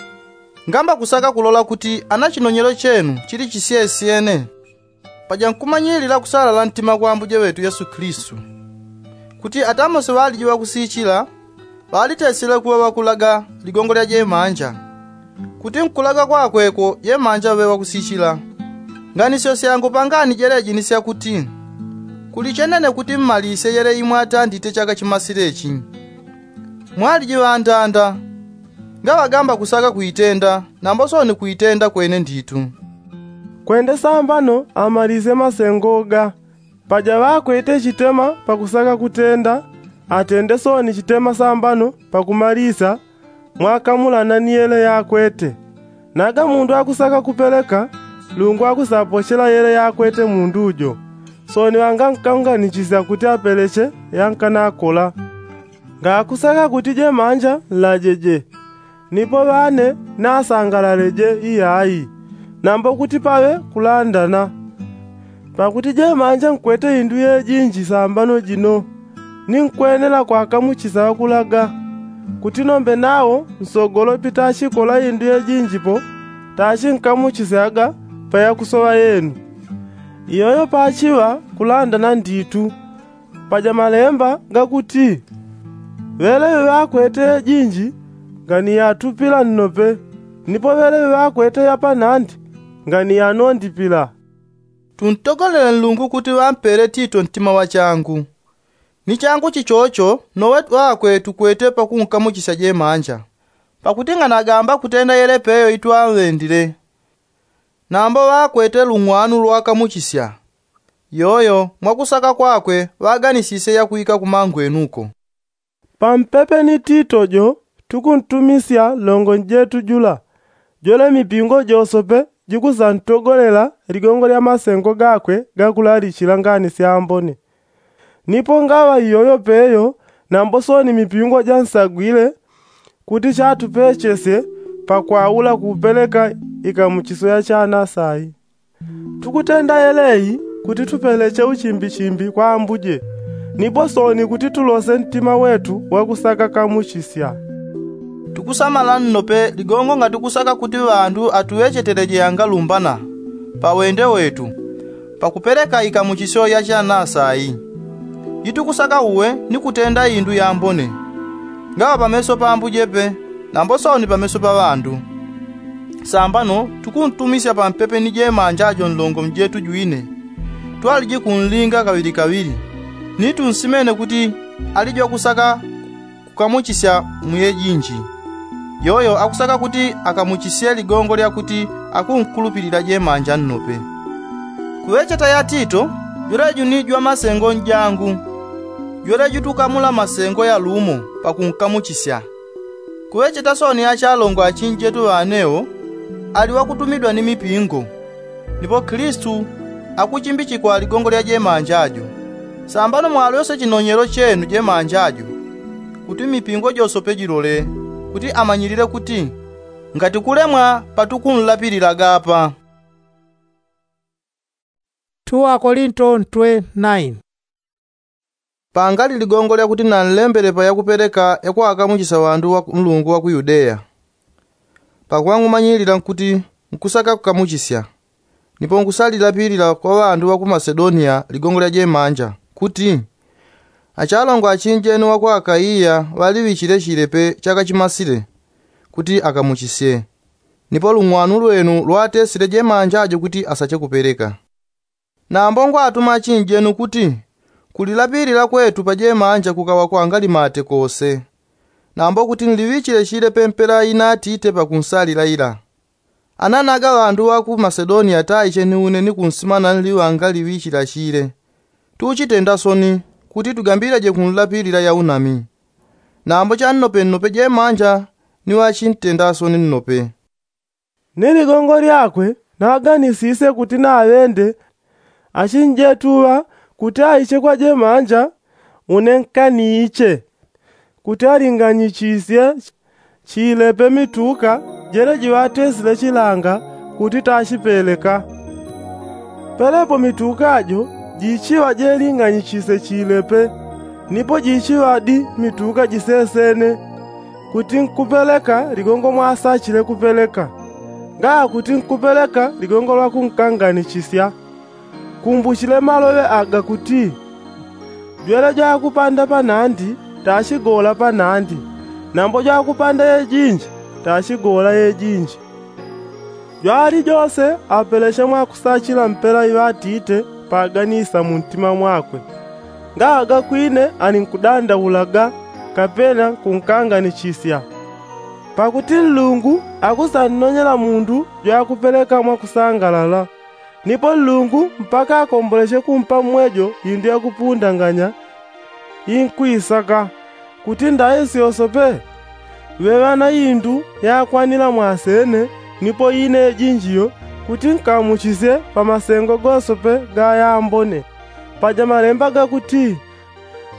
Ngamba kusaka kulola kuti ana chinonyelo chenu chili chisyesyene. Paja nkumanyilila kusalala ntima kwa ambuje ŵetu yesu kilisitu kuti atamosi ŵaliji ŵakusichila ŵalitesile kuŵa ŵakulaga ligongo lya jemanja. Kuti nkulaga kwakweko jemanja ŵe ŵakusichila. Nganisyo syangu pangani jeleji ni syakuti kuli chenene kuti mmalisye yele imwe atandite chaka chimasilechi. Mwaliji ŵandanda ngaŵagamba kusaka kuitenda nambo sooni kuitenda kwene nditu. Kwende sambano amalisye masengo ga. Paja ŵakwete chitema pakusaka kutenda atende sooni chitema sambano pakumalisya mwakamulana ni yele yakwete. Naga mundu akusaka kupeleka lungu akusapochela yele yakwete mundu jo. Sooni ŵangankaunganichisya kuti apeleche yankanakola. Ngakusaka kuti jemanja nlajeje nipo ŵane nasangalaleje iyayi. Nambo kuti paŵe kulandana. Pakuti jemanja nkwete indu yejinji sambano jino ni nkwenela kwakamuchisya ŵakulaga kuti nombe nawo nsogolopi tachikola indu yejinjipo tachinkamuchisyaga pa yakusoŵa yenu. Iyoyo pachiŵa kulandana nditu. Paja malemba gakuti ŵeleŵe ŵakwete yejinji nganiyatupila nnope nipo ŵeleŵe ŵakwete yapanandi nganiyanondipila. Tuntogolele nlungu kuti ŵampele tito ntima ŵachangu. Ni changu chichocho nowe ŵakwe tukwete pakunkamuchisya jemanja. Pakuti nganagamba kutenda yele peyo itwaŵendile. Nambo ŵakwete lung'wanu lwakamuchisya. Yoyo mwakusaka kwakwe ŵaganisisye yakwika kumangwenuko. Pampepe ni tito jo tukuntumisya longo njetu jula. Jwele mipingo josope jikusantogolela ligongo lya masengo gakwe gakulalichila ngani syambone. Nipo ngaŵa iyoyo peyo nambo sooni mipingo jansagwile kuti chatupechesye pakwaula kupeleka ikamuchisyo yachanasa iyi. Tukutenda yeleyi kuti tupeleche uchimbichimbi kwa ambuje. Nipo sooni kuti tulose ntima wetu wakusaka kamuchisya. Tukusamala nnope ligongo ngatukusaka kuti ŵandu atuŵecheteleje yangalumbana pa wende wetu pakupeleka ikamuchisyo yachanasa iyi. Itukusaka uwe ni kutenda indu yambone ngaŵa pameso pa ambuje pe nambo sooni pameso pa ŵandu. Sambano tukuntumisya pampepe ni jemanja jo nlongo njetu jwine twaliji kunlinga kaŵilikaŵili. Ni tunsimene kuti ali jwakusaka kukamuchisya mu yejinji. Yoyo akusaka kuti akamuchisye ligongo lyakuti akunkulupilila jemanja nnope. Kuŵecheta ya tito jweleju ni jwamasengo njangu. Jweleju tukamula masengo yalumo pakunkamuchisya. Kuŵecheta sooni achalongo achinjetu ŵanewo ali ŵakutumidwa ni mipingo. Nipo kilisitu akuchimbichikwa ligongo lya jemanja jo. Sambano mwalyose chinonyelo chenu jemanja jo kuti mipingo josope jilole kuti amanyilile kuti ngati kulemwa patukunlapililaga apa. Tuwakolinto ntwe naini. Pangali ligongo lyakuti nanlembele pa yakupeleka yakwakamuchisya ŵandu ŵa nlungu ŵa ku yudeya. Pakuŵa ngumanyilila kuti nkusaka kukamuchisya, nipo nkusalilapilila kwa ŵandu ŵa ku masedoniya ligongo lya jemanja, kuti achalongo achinjenu ŵa ku akaiya ŵaliŵichile chilepe chaka chimasile, kuti akamuchisye. Nipo lung'wanu lwenu lwatesile jemanja jo kuti asache kupeleka. Nambo ngwatuma achinjenu kuti kulilapilila kwetu pa jemanja kukaŵa kwangali mate kose. Nambo kuti nliŵichile chilepe mpela ina atite pakunsalila ila. Ananaga ŵandu ŵa ku masedoniya taiche ni une ni kunsima nanli ŵangaliŵichila chile. Tuchitenda soni kuti tugambilaje kunlapilila yaunami. Nambo channopenope jemanja ni ŵachintenda soni nnope. Ni ligongo lyakwe naganisisye kuti naŵende achinjetu ŵa kuti aiche kwa jemanja une nkaniiche, kuti alinganyichisye chilepe mituka jele jiŵatesile chilanga kuti tachipeleka. Pelepo mituka jo jichiŵa jelinganyichisye chilepe, nipo jichiŵadi mituka jisesene kuti nkupeleka ligongo mwasachile kupeleka, ngaa kuti nkupeleka ligongo lwa kunkanganichisya. Kumbuchile maloŵe aga kuti, jwele jwakupanda panandi tachigola panandi, nambo jwakupanda yejinji tachigola yejinji. Jwalijose apeleche mwakusachila mpela iŵatite paganisa muntima mwakwe, ngaa gakwine alinkudandaulaga kapena kunkanganichisya. Pakuti nlungu akusannonyela mundu jwakupeleka mwakusangalala. Nipo nlungu mpaka akomboleche kumpa mmwejo indu yakupundanganya inkwisaka. Kuti ndaisi yosope ŵeŵa na indu yakwanila mwasene nipo ine yejinjiyo, kuti nkamuchisye pa masengo gosope gayambone. Paja malemba gakuti,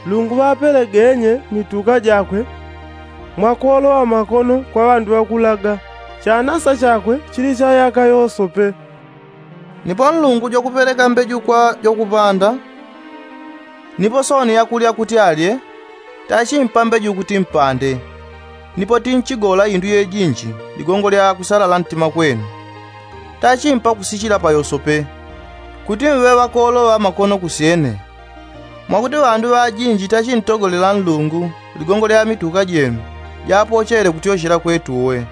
nlungu ŵapelegenye mituka jakwe mwakuoloŵa makono kwa ŵandu ŵakulaga. Chanasa chakwe chili cha yaka yosope. Nipo nlungu jwakupeleka mbeju kwa jwakupanda, nipo sooni yakulya kuti alye, tachimpa mbeju kuti mpande. Nipo tinchigola indu yejinji ligongo lya kusalala ntima kwenu. Tachimpa kusichila pa yosope kuti mŵe ŵakooloŵa makono kusyene. Mwakuti ŵandu ŵajinji tachintogolela nlungu ligongo lya mituka jenu japochele kutyochela kwetu uwe.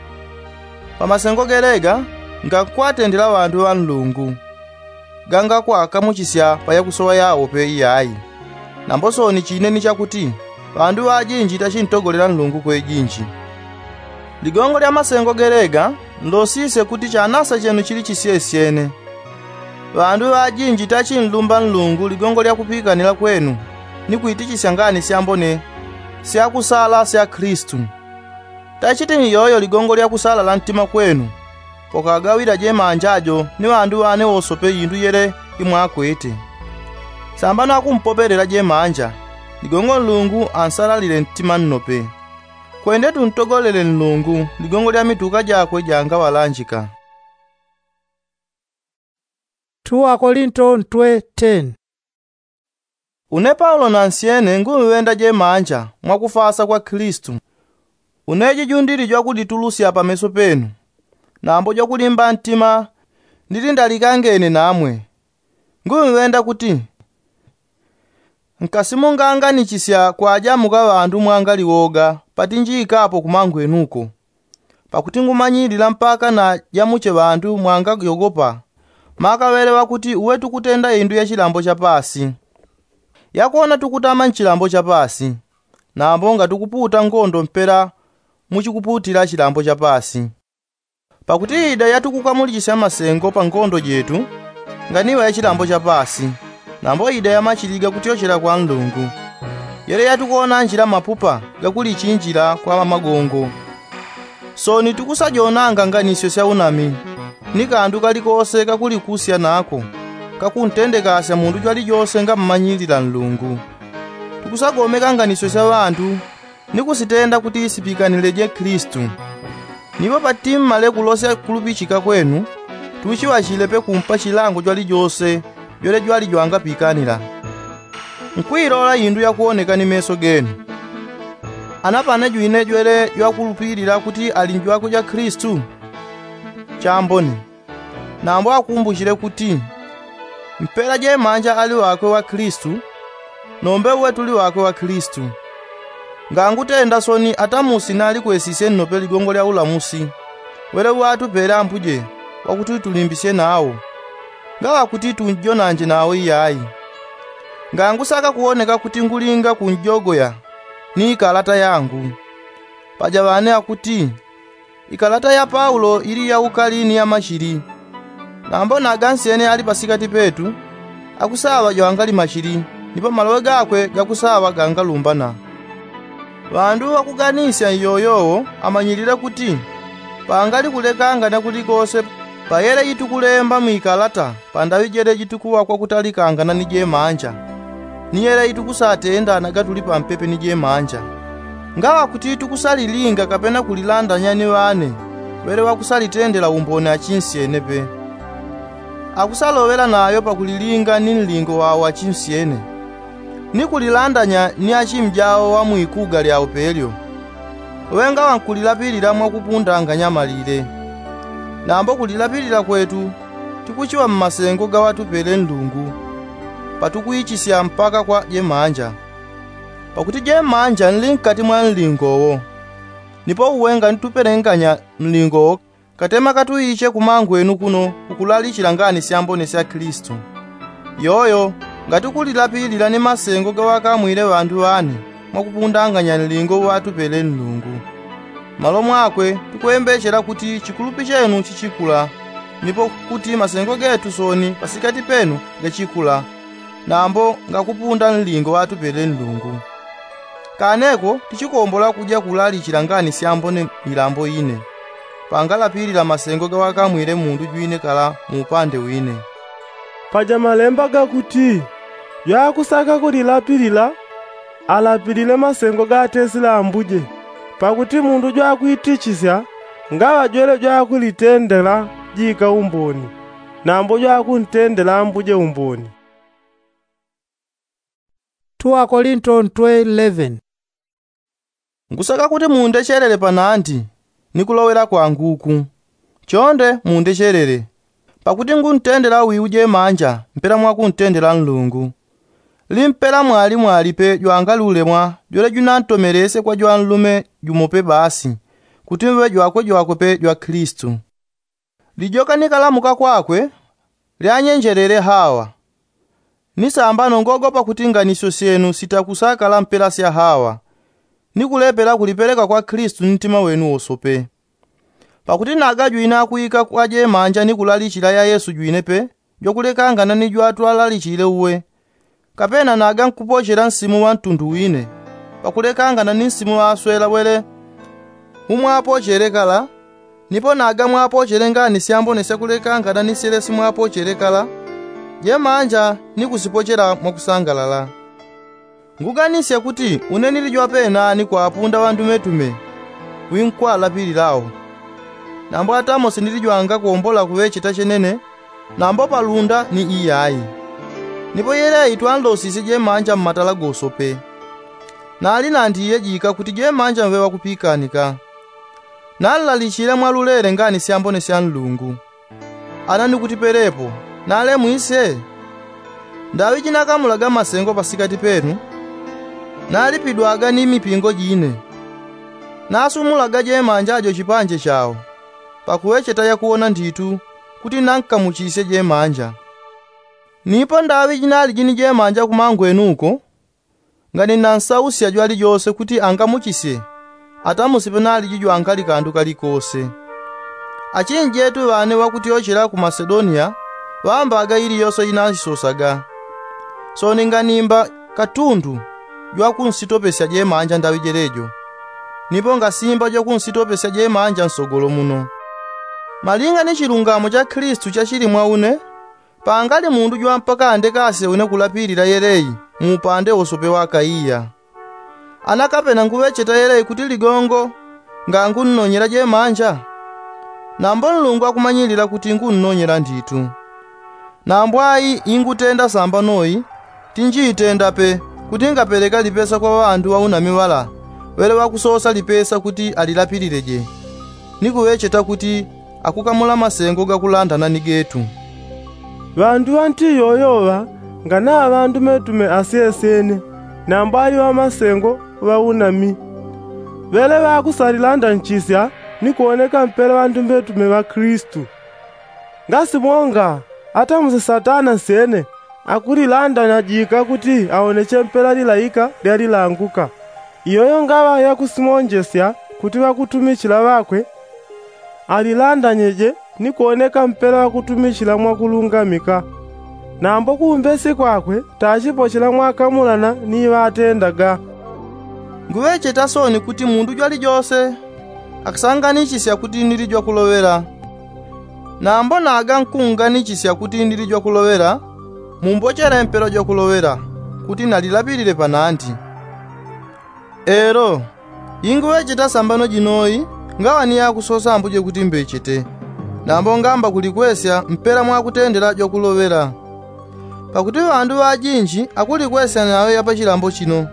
Pa masengo gelega ngakwatendela ŵandu ŵa nlungu, gangakwakamuchisya pa yakusoŵa yawo pe iyayi. Nambo sooni chine ni chakuti ŵandu ŵajinji tachintogolela nlungu kwejinji. Ligongo lya masengo gelega nlosisye kuti chanasa chenu chili chisyesyene. Ŵandu ŵajinji tachinlumba nlungu ligongo lya kupikanila kwenu ni kwitichisya ngani syambone syakusala sya kilisitu. Tachitini iyoyo ligongo lya kusalala ntima kwenu pokagawila jemanja jo ni ŵandu ŵane wosope indu yele imwakwete. Sambano akumpopelela jemanja ligongo nlungu ansalalile ntima nnope. Kwende tuntogolele nlungu ligongo lya mituka jakwe jangaŵalanjika. Tuwakolinto ntwe ten. Une paulo nansyene ngumŵenda jemanja mwakufasa kwa kilisitu. Une jijundili jwakuditulusya pameso penu, nambo jwakulimba ntima ndili ndalikangene namwe. Ngumŵenda kuti nkasimunganganichisya kwajamuka ŵandu mwangaliwoga patinjiikapo kumangwenuko. Pakuti ngumanyilila mpaka na jamuche ŵandu mwangayogopa, makaŵele ŵakuti uwe tukutenda indu ya chilambo cha paasi. Yakwona tukutama nchilambo cha paasi, nambo ngatukuputa ngondo mpela muchikuputila chilambo cha paasi. Pakuti ida yatukukamulichisya masengo pa ngondo jetu, nganiŵa ya chilambo cha paasi, nambo ida ya machiliga kutyochela kwa nlungu. Yele yatukuonanjila mapupa gakulichinjila kwa magongo. Sooni tukusajonanga nganisyo sya unami ni kandu kalikose kakulikusya nako kakuntendekasya mundu jwalijose ngamumanyilila nlungu. Tukusagomeka nganisyo sya ŵandu ni kusitenda kuti sipikanileje kilisitu. Nipo patimmale kulosya kulupichika kwenu tuchiŵachile pe kumpa chilango jwalijose jwele jwalijwangapikanila. Nkwilola indu yakuoneka ni meso genu. Ana pane jwine jwele jwakulupilila kuti ali njwakwe ja kilisitu? Chambone. Nambo akumbuchile kuti mpela jemanja ali wakwe wa kilisitu, nombe uwe tuli wakwe wa kilisitu. Ngangutenda soni atamusi nalikwesisye nnope ligongo lya ulamusi wele uwatupele ambuje, wakuti tulimbisye nawo, ngaŵa kuti tunjonanje nawo iyayi. Ngangusaka kuwoneka kuti ngulinga kunjogoya ni ikalata yangu. Paja ŵane akuti ikalata ya paulo ili ya ukali ni ya machili. Nambo nagansyene ali pasikati petu, akusaŵa jwangali machili, nipo maloŵe gakwe gakusaŵa gangalumbana. Ŵandu ŵakuganisya iyoyowo amanyilile kuti pangali kulekangana kulikose. Payele itukulemba mwikalata pandaŵi jele jitukuŵa kwakutalikangana ni jemanja, ni yele itukusatenda nagatuli pampepe ni jemanja. Ngaŵa kuti tukusalilinga kapena kulilandanya ni ŵane, ŵele ŵakusalitendela umboni achinsyene pe. Akusaloŵela nayo pakulilinga ni nlingo wawo achinsyene, ni kulilandanya ni achimjawo wa mwikuga lyawo pelyo. Ŵenga ŵankulilapilila mwakupundanganya malile. Nambo kulilapilila kwetu tikuchiŵa mmasengo gaŵatupele nlungu, patukwichisya mpaka kwa jemanja. Pakuti jemanja nli nkati mwa nlingo wo. Nipo uwe nganitupelenganya nlingo wo, katema katuiche kumangwenu kuno kukulalichila ngani syambone sya kilisitu. Yoyo ngati kulilapilila ni masengo gaŵakamwile ŵandu ŵane mwakupundanganya nlingo uŵatupele nlungu. Malo mwakwe tukwembechela kuti chikulupi chenu chichikula, nipo kuti masengo getu soni pasikati penu gachikula, nambo ngakupunda nlingo ŵatupele nlungu. Kaneko tichikombola kuja kulalichila ngani syambone milambo ine, pangalapilila masengo gaŵakamwile mundu jwine kala muupande wine. Paja malemba gakuti, jwakusaka kulilapilila alapilile masengo gatesile ambuje. Pakuti mundu jwakwitichisya ngaŵa jwele jwakulitendela jika umboni, nambo jwakuntendela ambuje umboni. Ngusaka kuti mundechelele panandi ni kulowela kwanguku. Chonde mundechelele, pakuti nguntendela wiu jemanja mpela mwakuntendela nlungu. Limpela mwali mwali pe jwangali ulemwa jwele junantomelesye kwa jwanlume jumo pe basi, kuti mve jwakwe jwakwe pe jwa kilisitu. Lijoka ni kalamuka kwakwe lyanyenjelele hawa. Ni sambano ngogopa kuti nganisyo syenu sitakusakala mpela sya hawa, ni kulepela kulipeleka kwa kilisitu ni ntima wenu wosope. Pakuti nagajwina kwika kwa jemanja ni kulalichila ya yesu jwine pe jwakulekangana ni jwatwalalichile uwe. Kapena naga nkupochela nsimu ŵa ntundu wine pakulekangana ni nsimu ŵaswela wele umwapochele kala. Nipo naga mwapochele ngani syambone syakulekangana ni syelesi mwapochele kala, jemanja ni kusipochela mwakusangalala. Nguganisya kuti une nili jwapenani kwapunda ŵandumetume winkwalapililawo. Nambo atamosi nili jwangakombola kuŵecheta chenene, nambo palunda ni iyayi. Nipo yeleyi twanlosisye jemanja mmatala gosope. Nali nandiye jika kuti jemanja mve ŵakupikanika. Nanlalichile mwalulele ngani syambone sya nlungu. Ana nikutipelepo, nalemwisye? Ndaŵi jinakamulaga masengo pasikati penu, nalipidwaga ni mipingo jine. Nasumulaga jemanja jo chipanje chawo pakuŵecheta yakuwona nditu kuti nankamuchisye jemanja. Nipo ndaŵi jinaliji ni jemanja kumangwenuko, ngani nansausya jwalijose kuti angamuchisye, atamusipe naliji jwangali kandu kalikose. Achinjetu ŵane ŵakutyochela ku masedoniya ŵambaga iliyose inaisosaga. Soni nganimba katundu jwakunsitopesya jemanja ndaŵi jelejo. Nipo ngasimba jwakunsitopesya jemanja nsogolo muno. Malinga ni chilungamo cha kilisitu chachili mwa une, pangali mundu jwampaka andekasye une kulapilila yeleyi muupande wosope wa akaiya. Ana kapena nguŵecheta yeleyi kuti ligongo ngangunnonyela jemanja? Nambo nlungu akumanyilila kuti ngunnonyela nditu. Nambo ayi ingutenda sambano iyi, Tinjiitendape kuti ngapeleka lipesa kwa ŵandu ŵaunami ŵala ŵele ŵakusosa lipesa kuti alilapilileje, ni kuŵecheta kuti akukamula masengo gakulandana ni getu. Ŵandu ŵanti yoyoŵa nganaŵa ŵandumetume asyesyene, nambo ali ŵamasengo ŵaunami. Ŵele ŵakusalilandanichisya ni kuwoneka mpela ŵandumetume ŵa kilisitu. Ngasimonga ata muse satana nsyene akulilandanajika kuti awoneche mpela lilaika lyalilanguka. Iyoyo ngaŵa yakusimonjesya kuti ŵakutumichila ŵakwe alilandanyeje ni kuwoneka mpela ŵakutumichila mwakulungamika. Nambo kumbesi kwakwe tachipochela mwakamulana ni ŵatendaga. Nguŵecheta sooni kuti mundu jwalijose akasanganichisya kuti nili jwakuloŵela. Nambo naga nkunganichisya kuti nili jwakuloŵela, mumbochele mpela jwakuloŵela kuti nalilapilile panandi. Elo, inguŵecheta sambano jinoyi ngaŵa ni yakusosa ambuje kuti mbechete. Nambo ngamba kulikwesya mpela mwakutendela jwakuloŵela. Pakuti ŵandu ŵajinji akulikwesya nayo yapachilambo chino.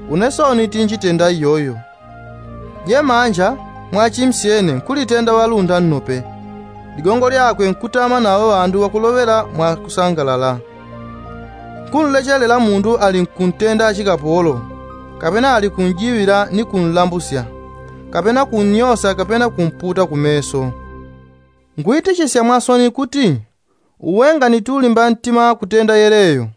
Une sooni tinjitenda iyoyo. Jemanja mwachimsyene nkulitenda ŵalunda nnope. Ligongo lyakwe nkutama nawo ŵandu ŵakuloŵela mwakusangalala. Nkunlechelela mundu ali nkuntenda achikapolo, kapena ali kunjiŵila ni kunlambusya, kapena kunnyosa kapena kumputa kumeso. Ngwitichisya mwasoni kuti uwenga ni tulimba ntima kutenda yeleyo.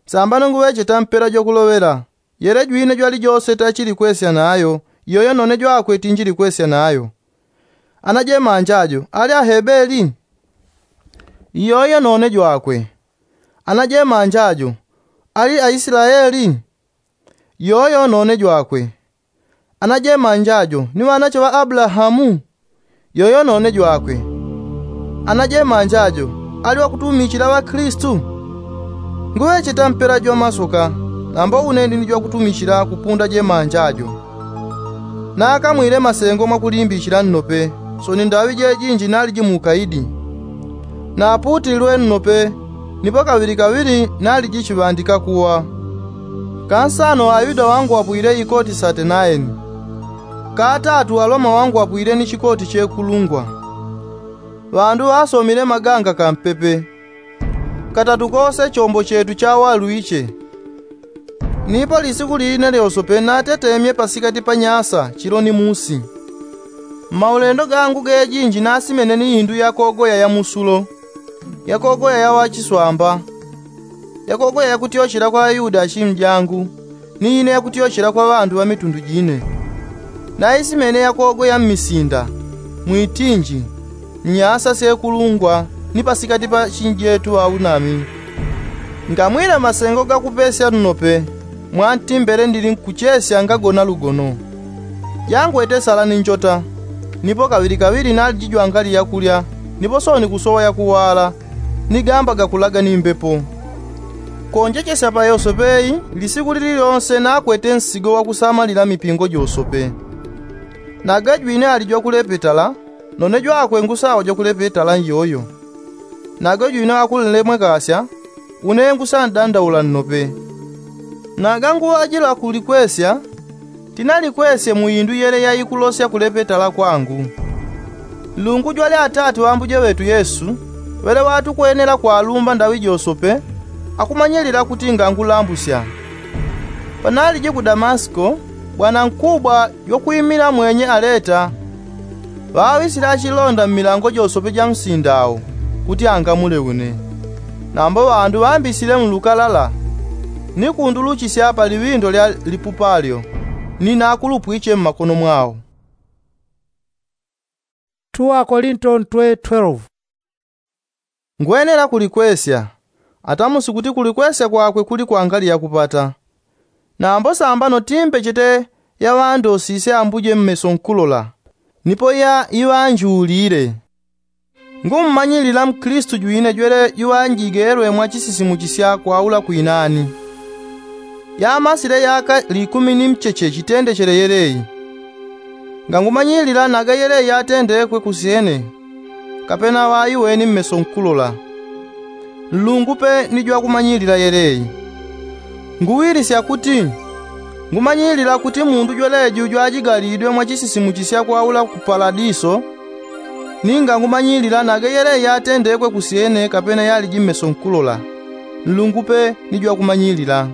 Sambano nguŵecheta mpela jwakuloŵela, yele jwine jwalijose tachilikwesya nayo, iyoyo none jwakwe tinjilikwesya nayo. Ana jemanja jo ali ahebeli? Iyoyo none jwakwe. Ana jemanja jo ali aislaeli? Iyoyo none jwakwe. Ana jemanja jo ni ŵanache ŵa abulahamu? Yoyo none jwakwe. Ana jemanja jo ali ŵakutumichila ŵakilisitu? Nguŵecheta mpela jwamasoka, nambo une ndi ni jwakutumichila kupunda jemanja jo. Nakamwile masengo mwakulimbichila nnope, sooni ndaŵi jejinji naliji muukaidi. Napuutililwe nnope, nipo kaŵilikaŵili naliji chiŵandika kuwa. Kansano ayuda wangwapwile ikoti satenaeni. Katatu aloma wangwapwile ni chikoti chekulungwa. Ŵandu ŵasomile maganga kampepe. Katatu kose chombo chetu chawalwiche. Nipo lisiku line lyosope natetemye pasikati pa nyasa chilo ni musi. Mmaulendo gangu gejinji nasimene ni indu yakogoya ya musulo, yakogoya ya ŵachiswamba, yakogoya yakutyochela kwa ayuda achimjangu, ni ine yakutyochela kwa ŵandu ŵa mitundu jine. Naisimene yakogoya mmisinda, mwitinji, nnyasa syekulungwa, ni pasikati pa chinjetu ŵaunami. Ngamwile masengo gakupesya nnope, mwantimbele ndili nkuchesya ngagona lugono. Jangwete sala ni njota, nipo kaŵilikaŵili naliji jwangali yakulya, nipo sooni kusowa yakuwala, ni gamba gakulaga ni mbepo. Konjechesya pa yosope iyi, lisiku lililyonse nakwete nsigo wakusamalila mipingo josope. Naga jwine ali jwakulepetala, none jwakwe ngusawa jwakulepetala nyoyo. Naga jwine wakunlemwekasya, une ngusandandaula nnope. Naga nguŵajila kulikwesya, tinalikwesye mu indu yele yaikulosya kulepetala kwangu. Nlungu jwali Atate ŵa Ambuje ŵetu Yesu, ŵele ŵatukwenela kwalumba ndaŵi josope, akumanyilila kuti ngangulambusya. Panaliji ku Damasiko, bwanankubwa jwakwimila mwenye Aleta ŵaŵisile achilonda mmilango josope ja msinda awo, kuti angamule une. Nambo ŵandu ŵambisile mu lukalala, ni kunduluchisya pa liŵindo lya lipupa lyo, ni nakulupwiche mmakono mwawo. Ngwenela kulikwesya. Atamusi kuti kulikwesya kwakwe kuli kwangali yakupata. Nambo sambano timbechete yaŵandosisye Ambuje mmeso nkulola, nipo ya iŵanjulile. Ngumumanyilila Mukilisitu jwine jwele juŵanjigelwe mwa chisisimuchisya kwaula kwinani. Yamasile yaka likumi ni mcheche chitendechele yeleyi. Ngangumanyilila naga yeleyi yatendekwe kusyene, kapena ŵaiweni mmeso nkulola. Nlungu pe ni jwakumanyilila yeleyi. Nguwilisya kuti ngumanyilila kuti mundu jweleju jwajigalidwe mwa chisisimuchisya kwaula ku paladiso. Ninga ngumanyilila nageyele yatendekwe kusyene kapena yaliji mmeso nkulola, nlungu pe ni jwakumanyilila.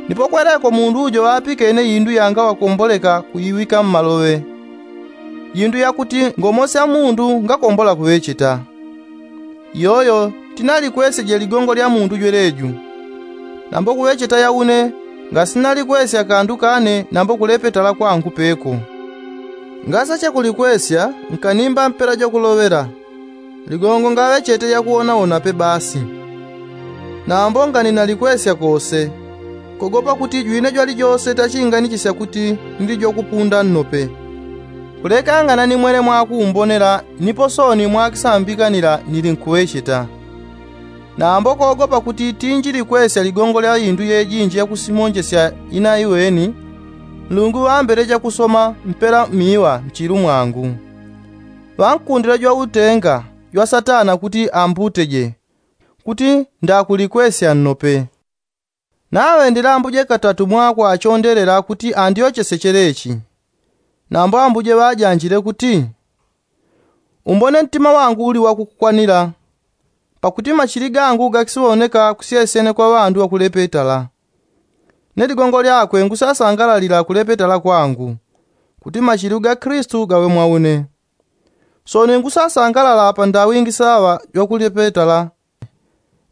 Nipo kweleko mundu ujo ŵapikene indu yangaŵakomboleka kuiwika mmaloŵe, indu yakuti ngomosya mundu ngakombola kuŵecheta. Iyoyo tinalikwesyeje ligongo lya mundu jweleju. Nambo kuŵecheta yaune ngasinalikwesya kandu kane nambo kulepetala kwangu peko. Ngasache kulikwesya nkanimba mpela jwakuloŵela, ligongo ngaŵechete yakuwonawonape basi. Nambo nganinalikwesya kose, kogopa kuti jwine jwalijose tachinganichisya kuti nili jwakupunda nnope. Kulekangana ni mwele mwakumbonela nipo sooni mwakisambikanila nili nkuŵecheta. Nambo kogopa kuti tinjilikwesya ligongo lya indu yejinji yakusimonjesya inaiweni, nlungu ŵambeleja kusoma mpela miŵa mchilu mwangu. Ŵankundila jwautenga jwa satana kuti ambuteje, kuti ndakulikwesya nnope. Naŵe ndilambuje katatu mwakwachondelela kuti andyochese chelechi. Nambo ambuje ŵajanjile kuti, umbone ntima wangu uli wakukukwanila, pakuti machili gangu gakisiwoneka kusyesyene kwa ŵandu ŵakulepetala. Ne ligongo lyakwe ngusasangalalila kulepetala kwangu, kuti machili ga kristu gaŵe mwaune. Sooni ngusasangalala pandawingi saŵa jwakulepetala,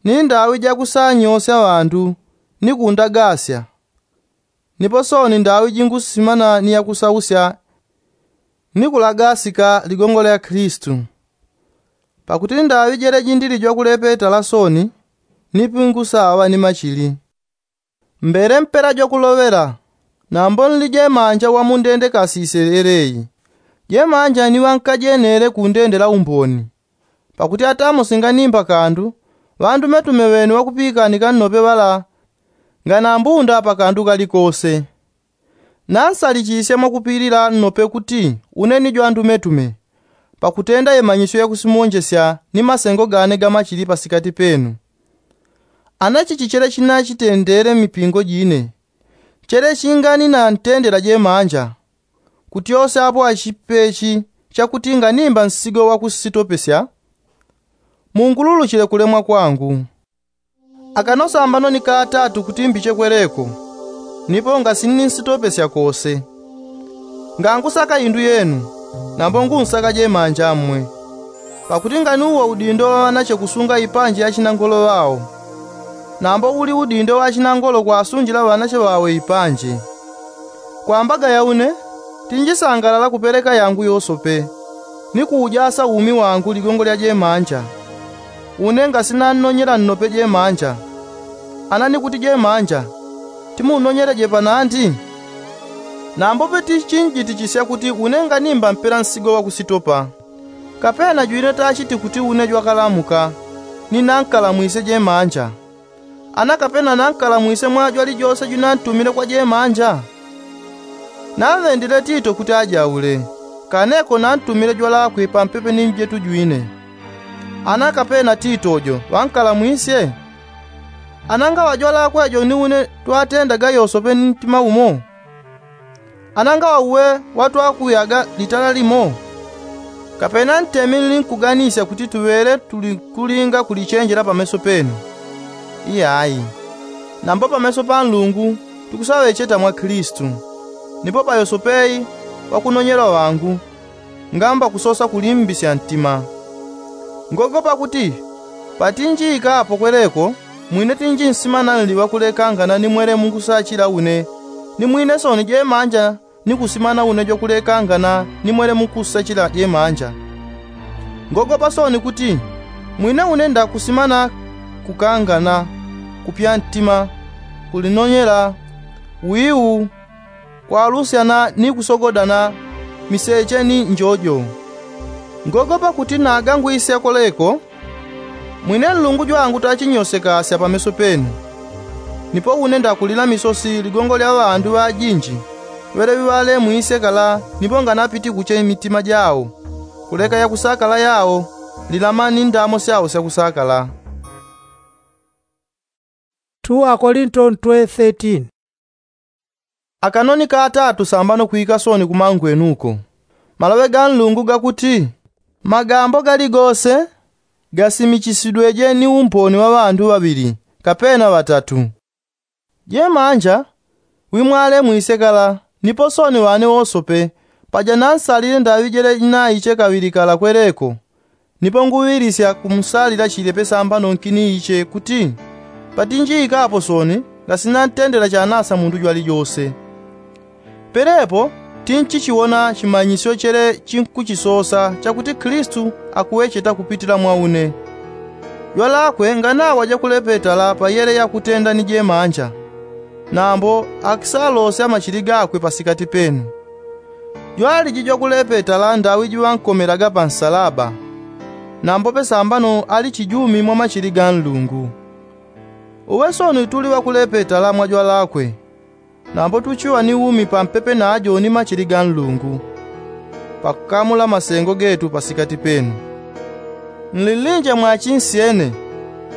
ni ndaŵi jakusanyosya ŵandu ni kundagasya. Nipo sooni ndaŵi jingusimana ni yakusausya ni kulagasika ligongo lya kristu. Pakuti ndaŵi jeleji ndili jwakulepetala sooni, ni pingusaŵa ni machili. Mbele mpela jwakuloŵela, nambo nli jemanja wamundende kasisye yeleyi. Jemanja ni ŵankajenele kundendela umboni. Pakuti atamo singanimba kandu, ŵandumetume ŵene ŵakupikanika nnope ŵala nganambunda pakandu kalikose. Nansalichisye mwakupilila nnope kuti une ni jwandumetume, pakutenda yemanyisyo yakusimonjesya ni masengo gane gamachili pasikati penu. Ana chichi chele chinachitendele mipingo jine, chele chinganinantendela jemanja, kutyosyapo achipechi chakuti nganimba nsigo wakusitopesya. Mungululuchile kulemwa kwangu. Akano sambano ni katatu kuti mbiche kweleko, nipo ngasininsitopesya kose. Ngangusaka indu yenu, nambo ngunsaka jemanja mmwe. Pakuti nganiuwo udindo wa ŵanache kusunga ipanje ya chinangolo ŵao, nambo uli udindo wa chinangolo kwasunjila ŵanache ŵawe ipanje. Kwambaga yaune, tinjisangalala kupeleka yangu yosope, ni kuujasa umi wangu ligongo lya jemanja. Une ngasinannonyela nnope jemanja. Ana ni kuti jemanja, timunnonyeleje panandi? Nambope tichinjitichisya kuti une nganimba mpela nsigo wakusitopa. Kapena jwine tachiti kuti une jwakalamuka, ni nankalamwisye jemanja. Ana kapena nankalamwisye mwa jwalijose jwinantumile kwa jemanja? Naŵendile tito kuti ajaule, kaneko nantumile jwalakwe pampepe ni njetu jwine. Ana kapena tito jo ŵankalamwisye? Ana ngaŵa jwalakwe jo ni une twatendaga yosope ni ntima umo? Ana ngaŵa uwe watwakuyaga litala limo? Kapena ntemi nlinkuganisya kuti tuŵele tulikulinga kulichenjela pameso penu? Iyayi. Nambo pameso pa nlungu tukusaŵecheta mwa kristu. Nipo payosopeyi ŵakunonyelwa ŵangu, ngamba kusosa kulimbisya ntima. Ngogopa kuti patinjiika apo kweleko, mwine tinjinsimana nli ŵakulekangana ni mwele mukusachila une, ni mwine sooni jemanja ni kusimana une jwakulekangana ni mwele mukusachila jemanja. Ngogopa sooni kuti mwine une ndakusimana kukangana, kupya ntima, kulinonyela, wiu, kwalusyana ni kusogodana, miseche ni njojo. Ngogopa kuti nagangwisya koleko, mwine nlungu jwangu tachinyosekasya pameso penu. Nipo une ndakulila misosi ligongo lya ŵandu ŵajinji, ŵeleŵi ŵalemwisye kala nipo nganapiti kuche mitima jao, kuleka yakusakala yao lilama ni ndamo syao syakusakala. Akolinto ntwe thirteen. Akanoni katatu sambano kwika soni kumangwenuko. Maloŵe ga nlungu gakuti, magambo galigose gasimichisidweje ni umboni wa ŵandu ŵaŵili kapena ŵatatu. Jemanja wimwale mwisekala nipo soni ŵane wosope paja nansalile ndaŵi jele jinaiche kaŵili kala kweleko. Nipo nguŵilisya kumsalila chile pesambano nkini iche kuti patinjiikapo soni ngasinantendela chanasa mundu jwalijose. Pelepo tinchichiwona chimanyisyo chele chinkuchisosa chakuti kilisitu akuwecheta kupitila mwa une. Jwalakwe nganawa jakulepetala pa yele yakutenda ni jemanja. Nambo akisalosya machili gakwe pasikati penu. Jwaliji jwakulepetala ndaŵi jiŵankomelaga pa nsalaba. Nambo pesambano ali chijumi mwa machili ga nlungu. Uŵe soni tuli ŵakulepetala mwa jwalakwe. Nambo tuchiŵa ni umi pampepe najo ni machili ga nlungu pakukamula masengo getu pasikati penu. Nlilinje mwachinsyene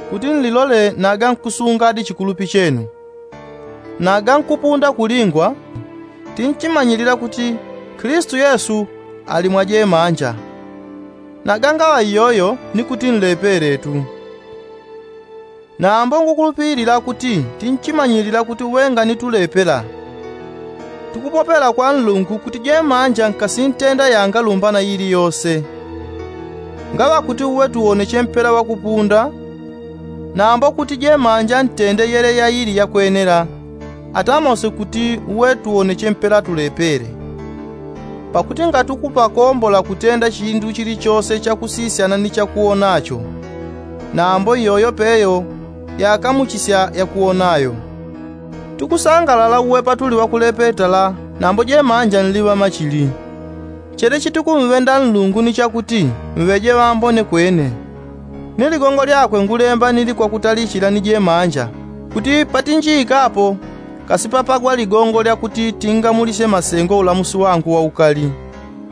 kuti nlilole naga nkusungadi chikulupi chenu. Naga nkupunda kulingwa tinchimanyilila kuti kilisitu yesu ali mwa jemanja. Naga ngaŵa iyoyo ni kuti nlepeletu. Nambo ngukulupilila kuti tinchimanyilila kuti uŵengani tulepela. Tukupopela kwa nlungu kuti jemanja nkasintenda yanga lumbana ili yose. Ngaŵa kuti uŵe tuwoneche mpela ŵakupunda. Nambo kuti jemanja ntende yele yaili yakwenela atamose kuti uŵe tuwoneche mpela tulepele. Pakuti ngatukupakombola kutenda chindu chilichose chakusisyana ni chakuwonacho. Nambo iyoyo peyo yakamuchisya yakuwonayo. Tukusangalala uŵe patuli ŵakulepetala nambo jemanja nliŵa machili. Chele chitukumŵenda nlungu ni chakuti mŵeje ŵambone kwene. Ni ligongo lyakwe ngulemba nili kwakutalichila ni jemanja kuti patinjiikapo kasipapagwa ligongo lyakuti tingamulisye masengo ulamusi wangu waukali.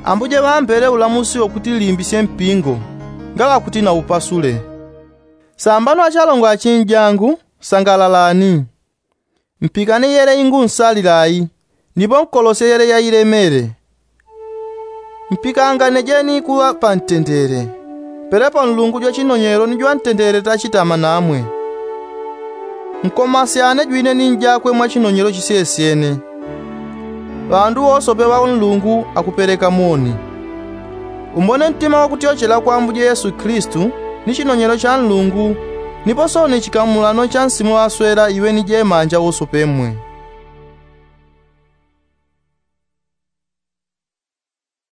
Ambuje ŵambele ulamusi wakuti limbisye mpingo ngaŵa kuti naupasule. Sambano achalongo achinjangu, sangalalani. Mpikane yele ingunsalila ayi. Nipo nkolosye yele yailemele. Mpikanganejeni kuŵa pantendele. Pelepo nlungu jwa chinonyelo ni jwantendele tachitama namwe. Nkomasyane jwine ni njakwe mwa chinonyelo chisyesyene. Ŵandu wosope ŵa nlungu akupeleka moni. Umbone ntima wakutyochela kwa ambuje yesu kilisitu ni chinonyelo cha nlungu. Nipo soni chikamulano cha nsimu ŵaswela iŵe ni jemanja wosope mwe.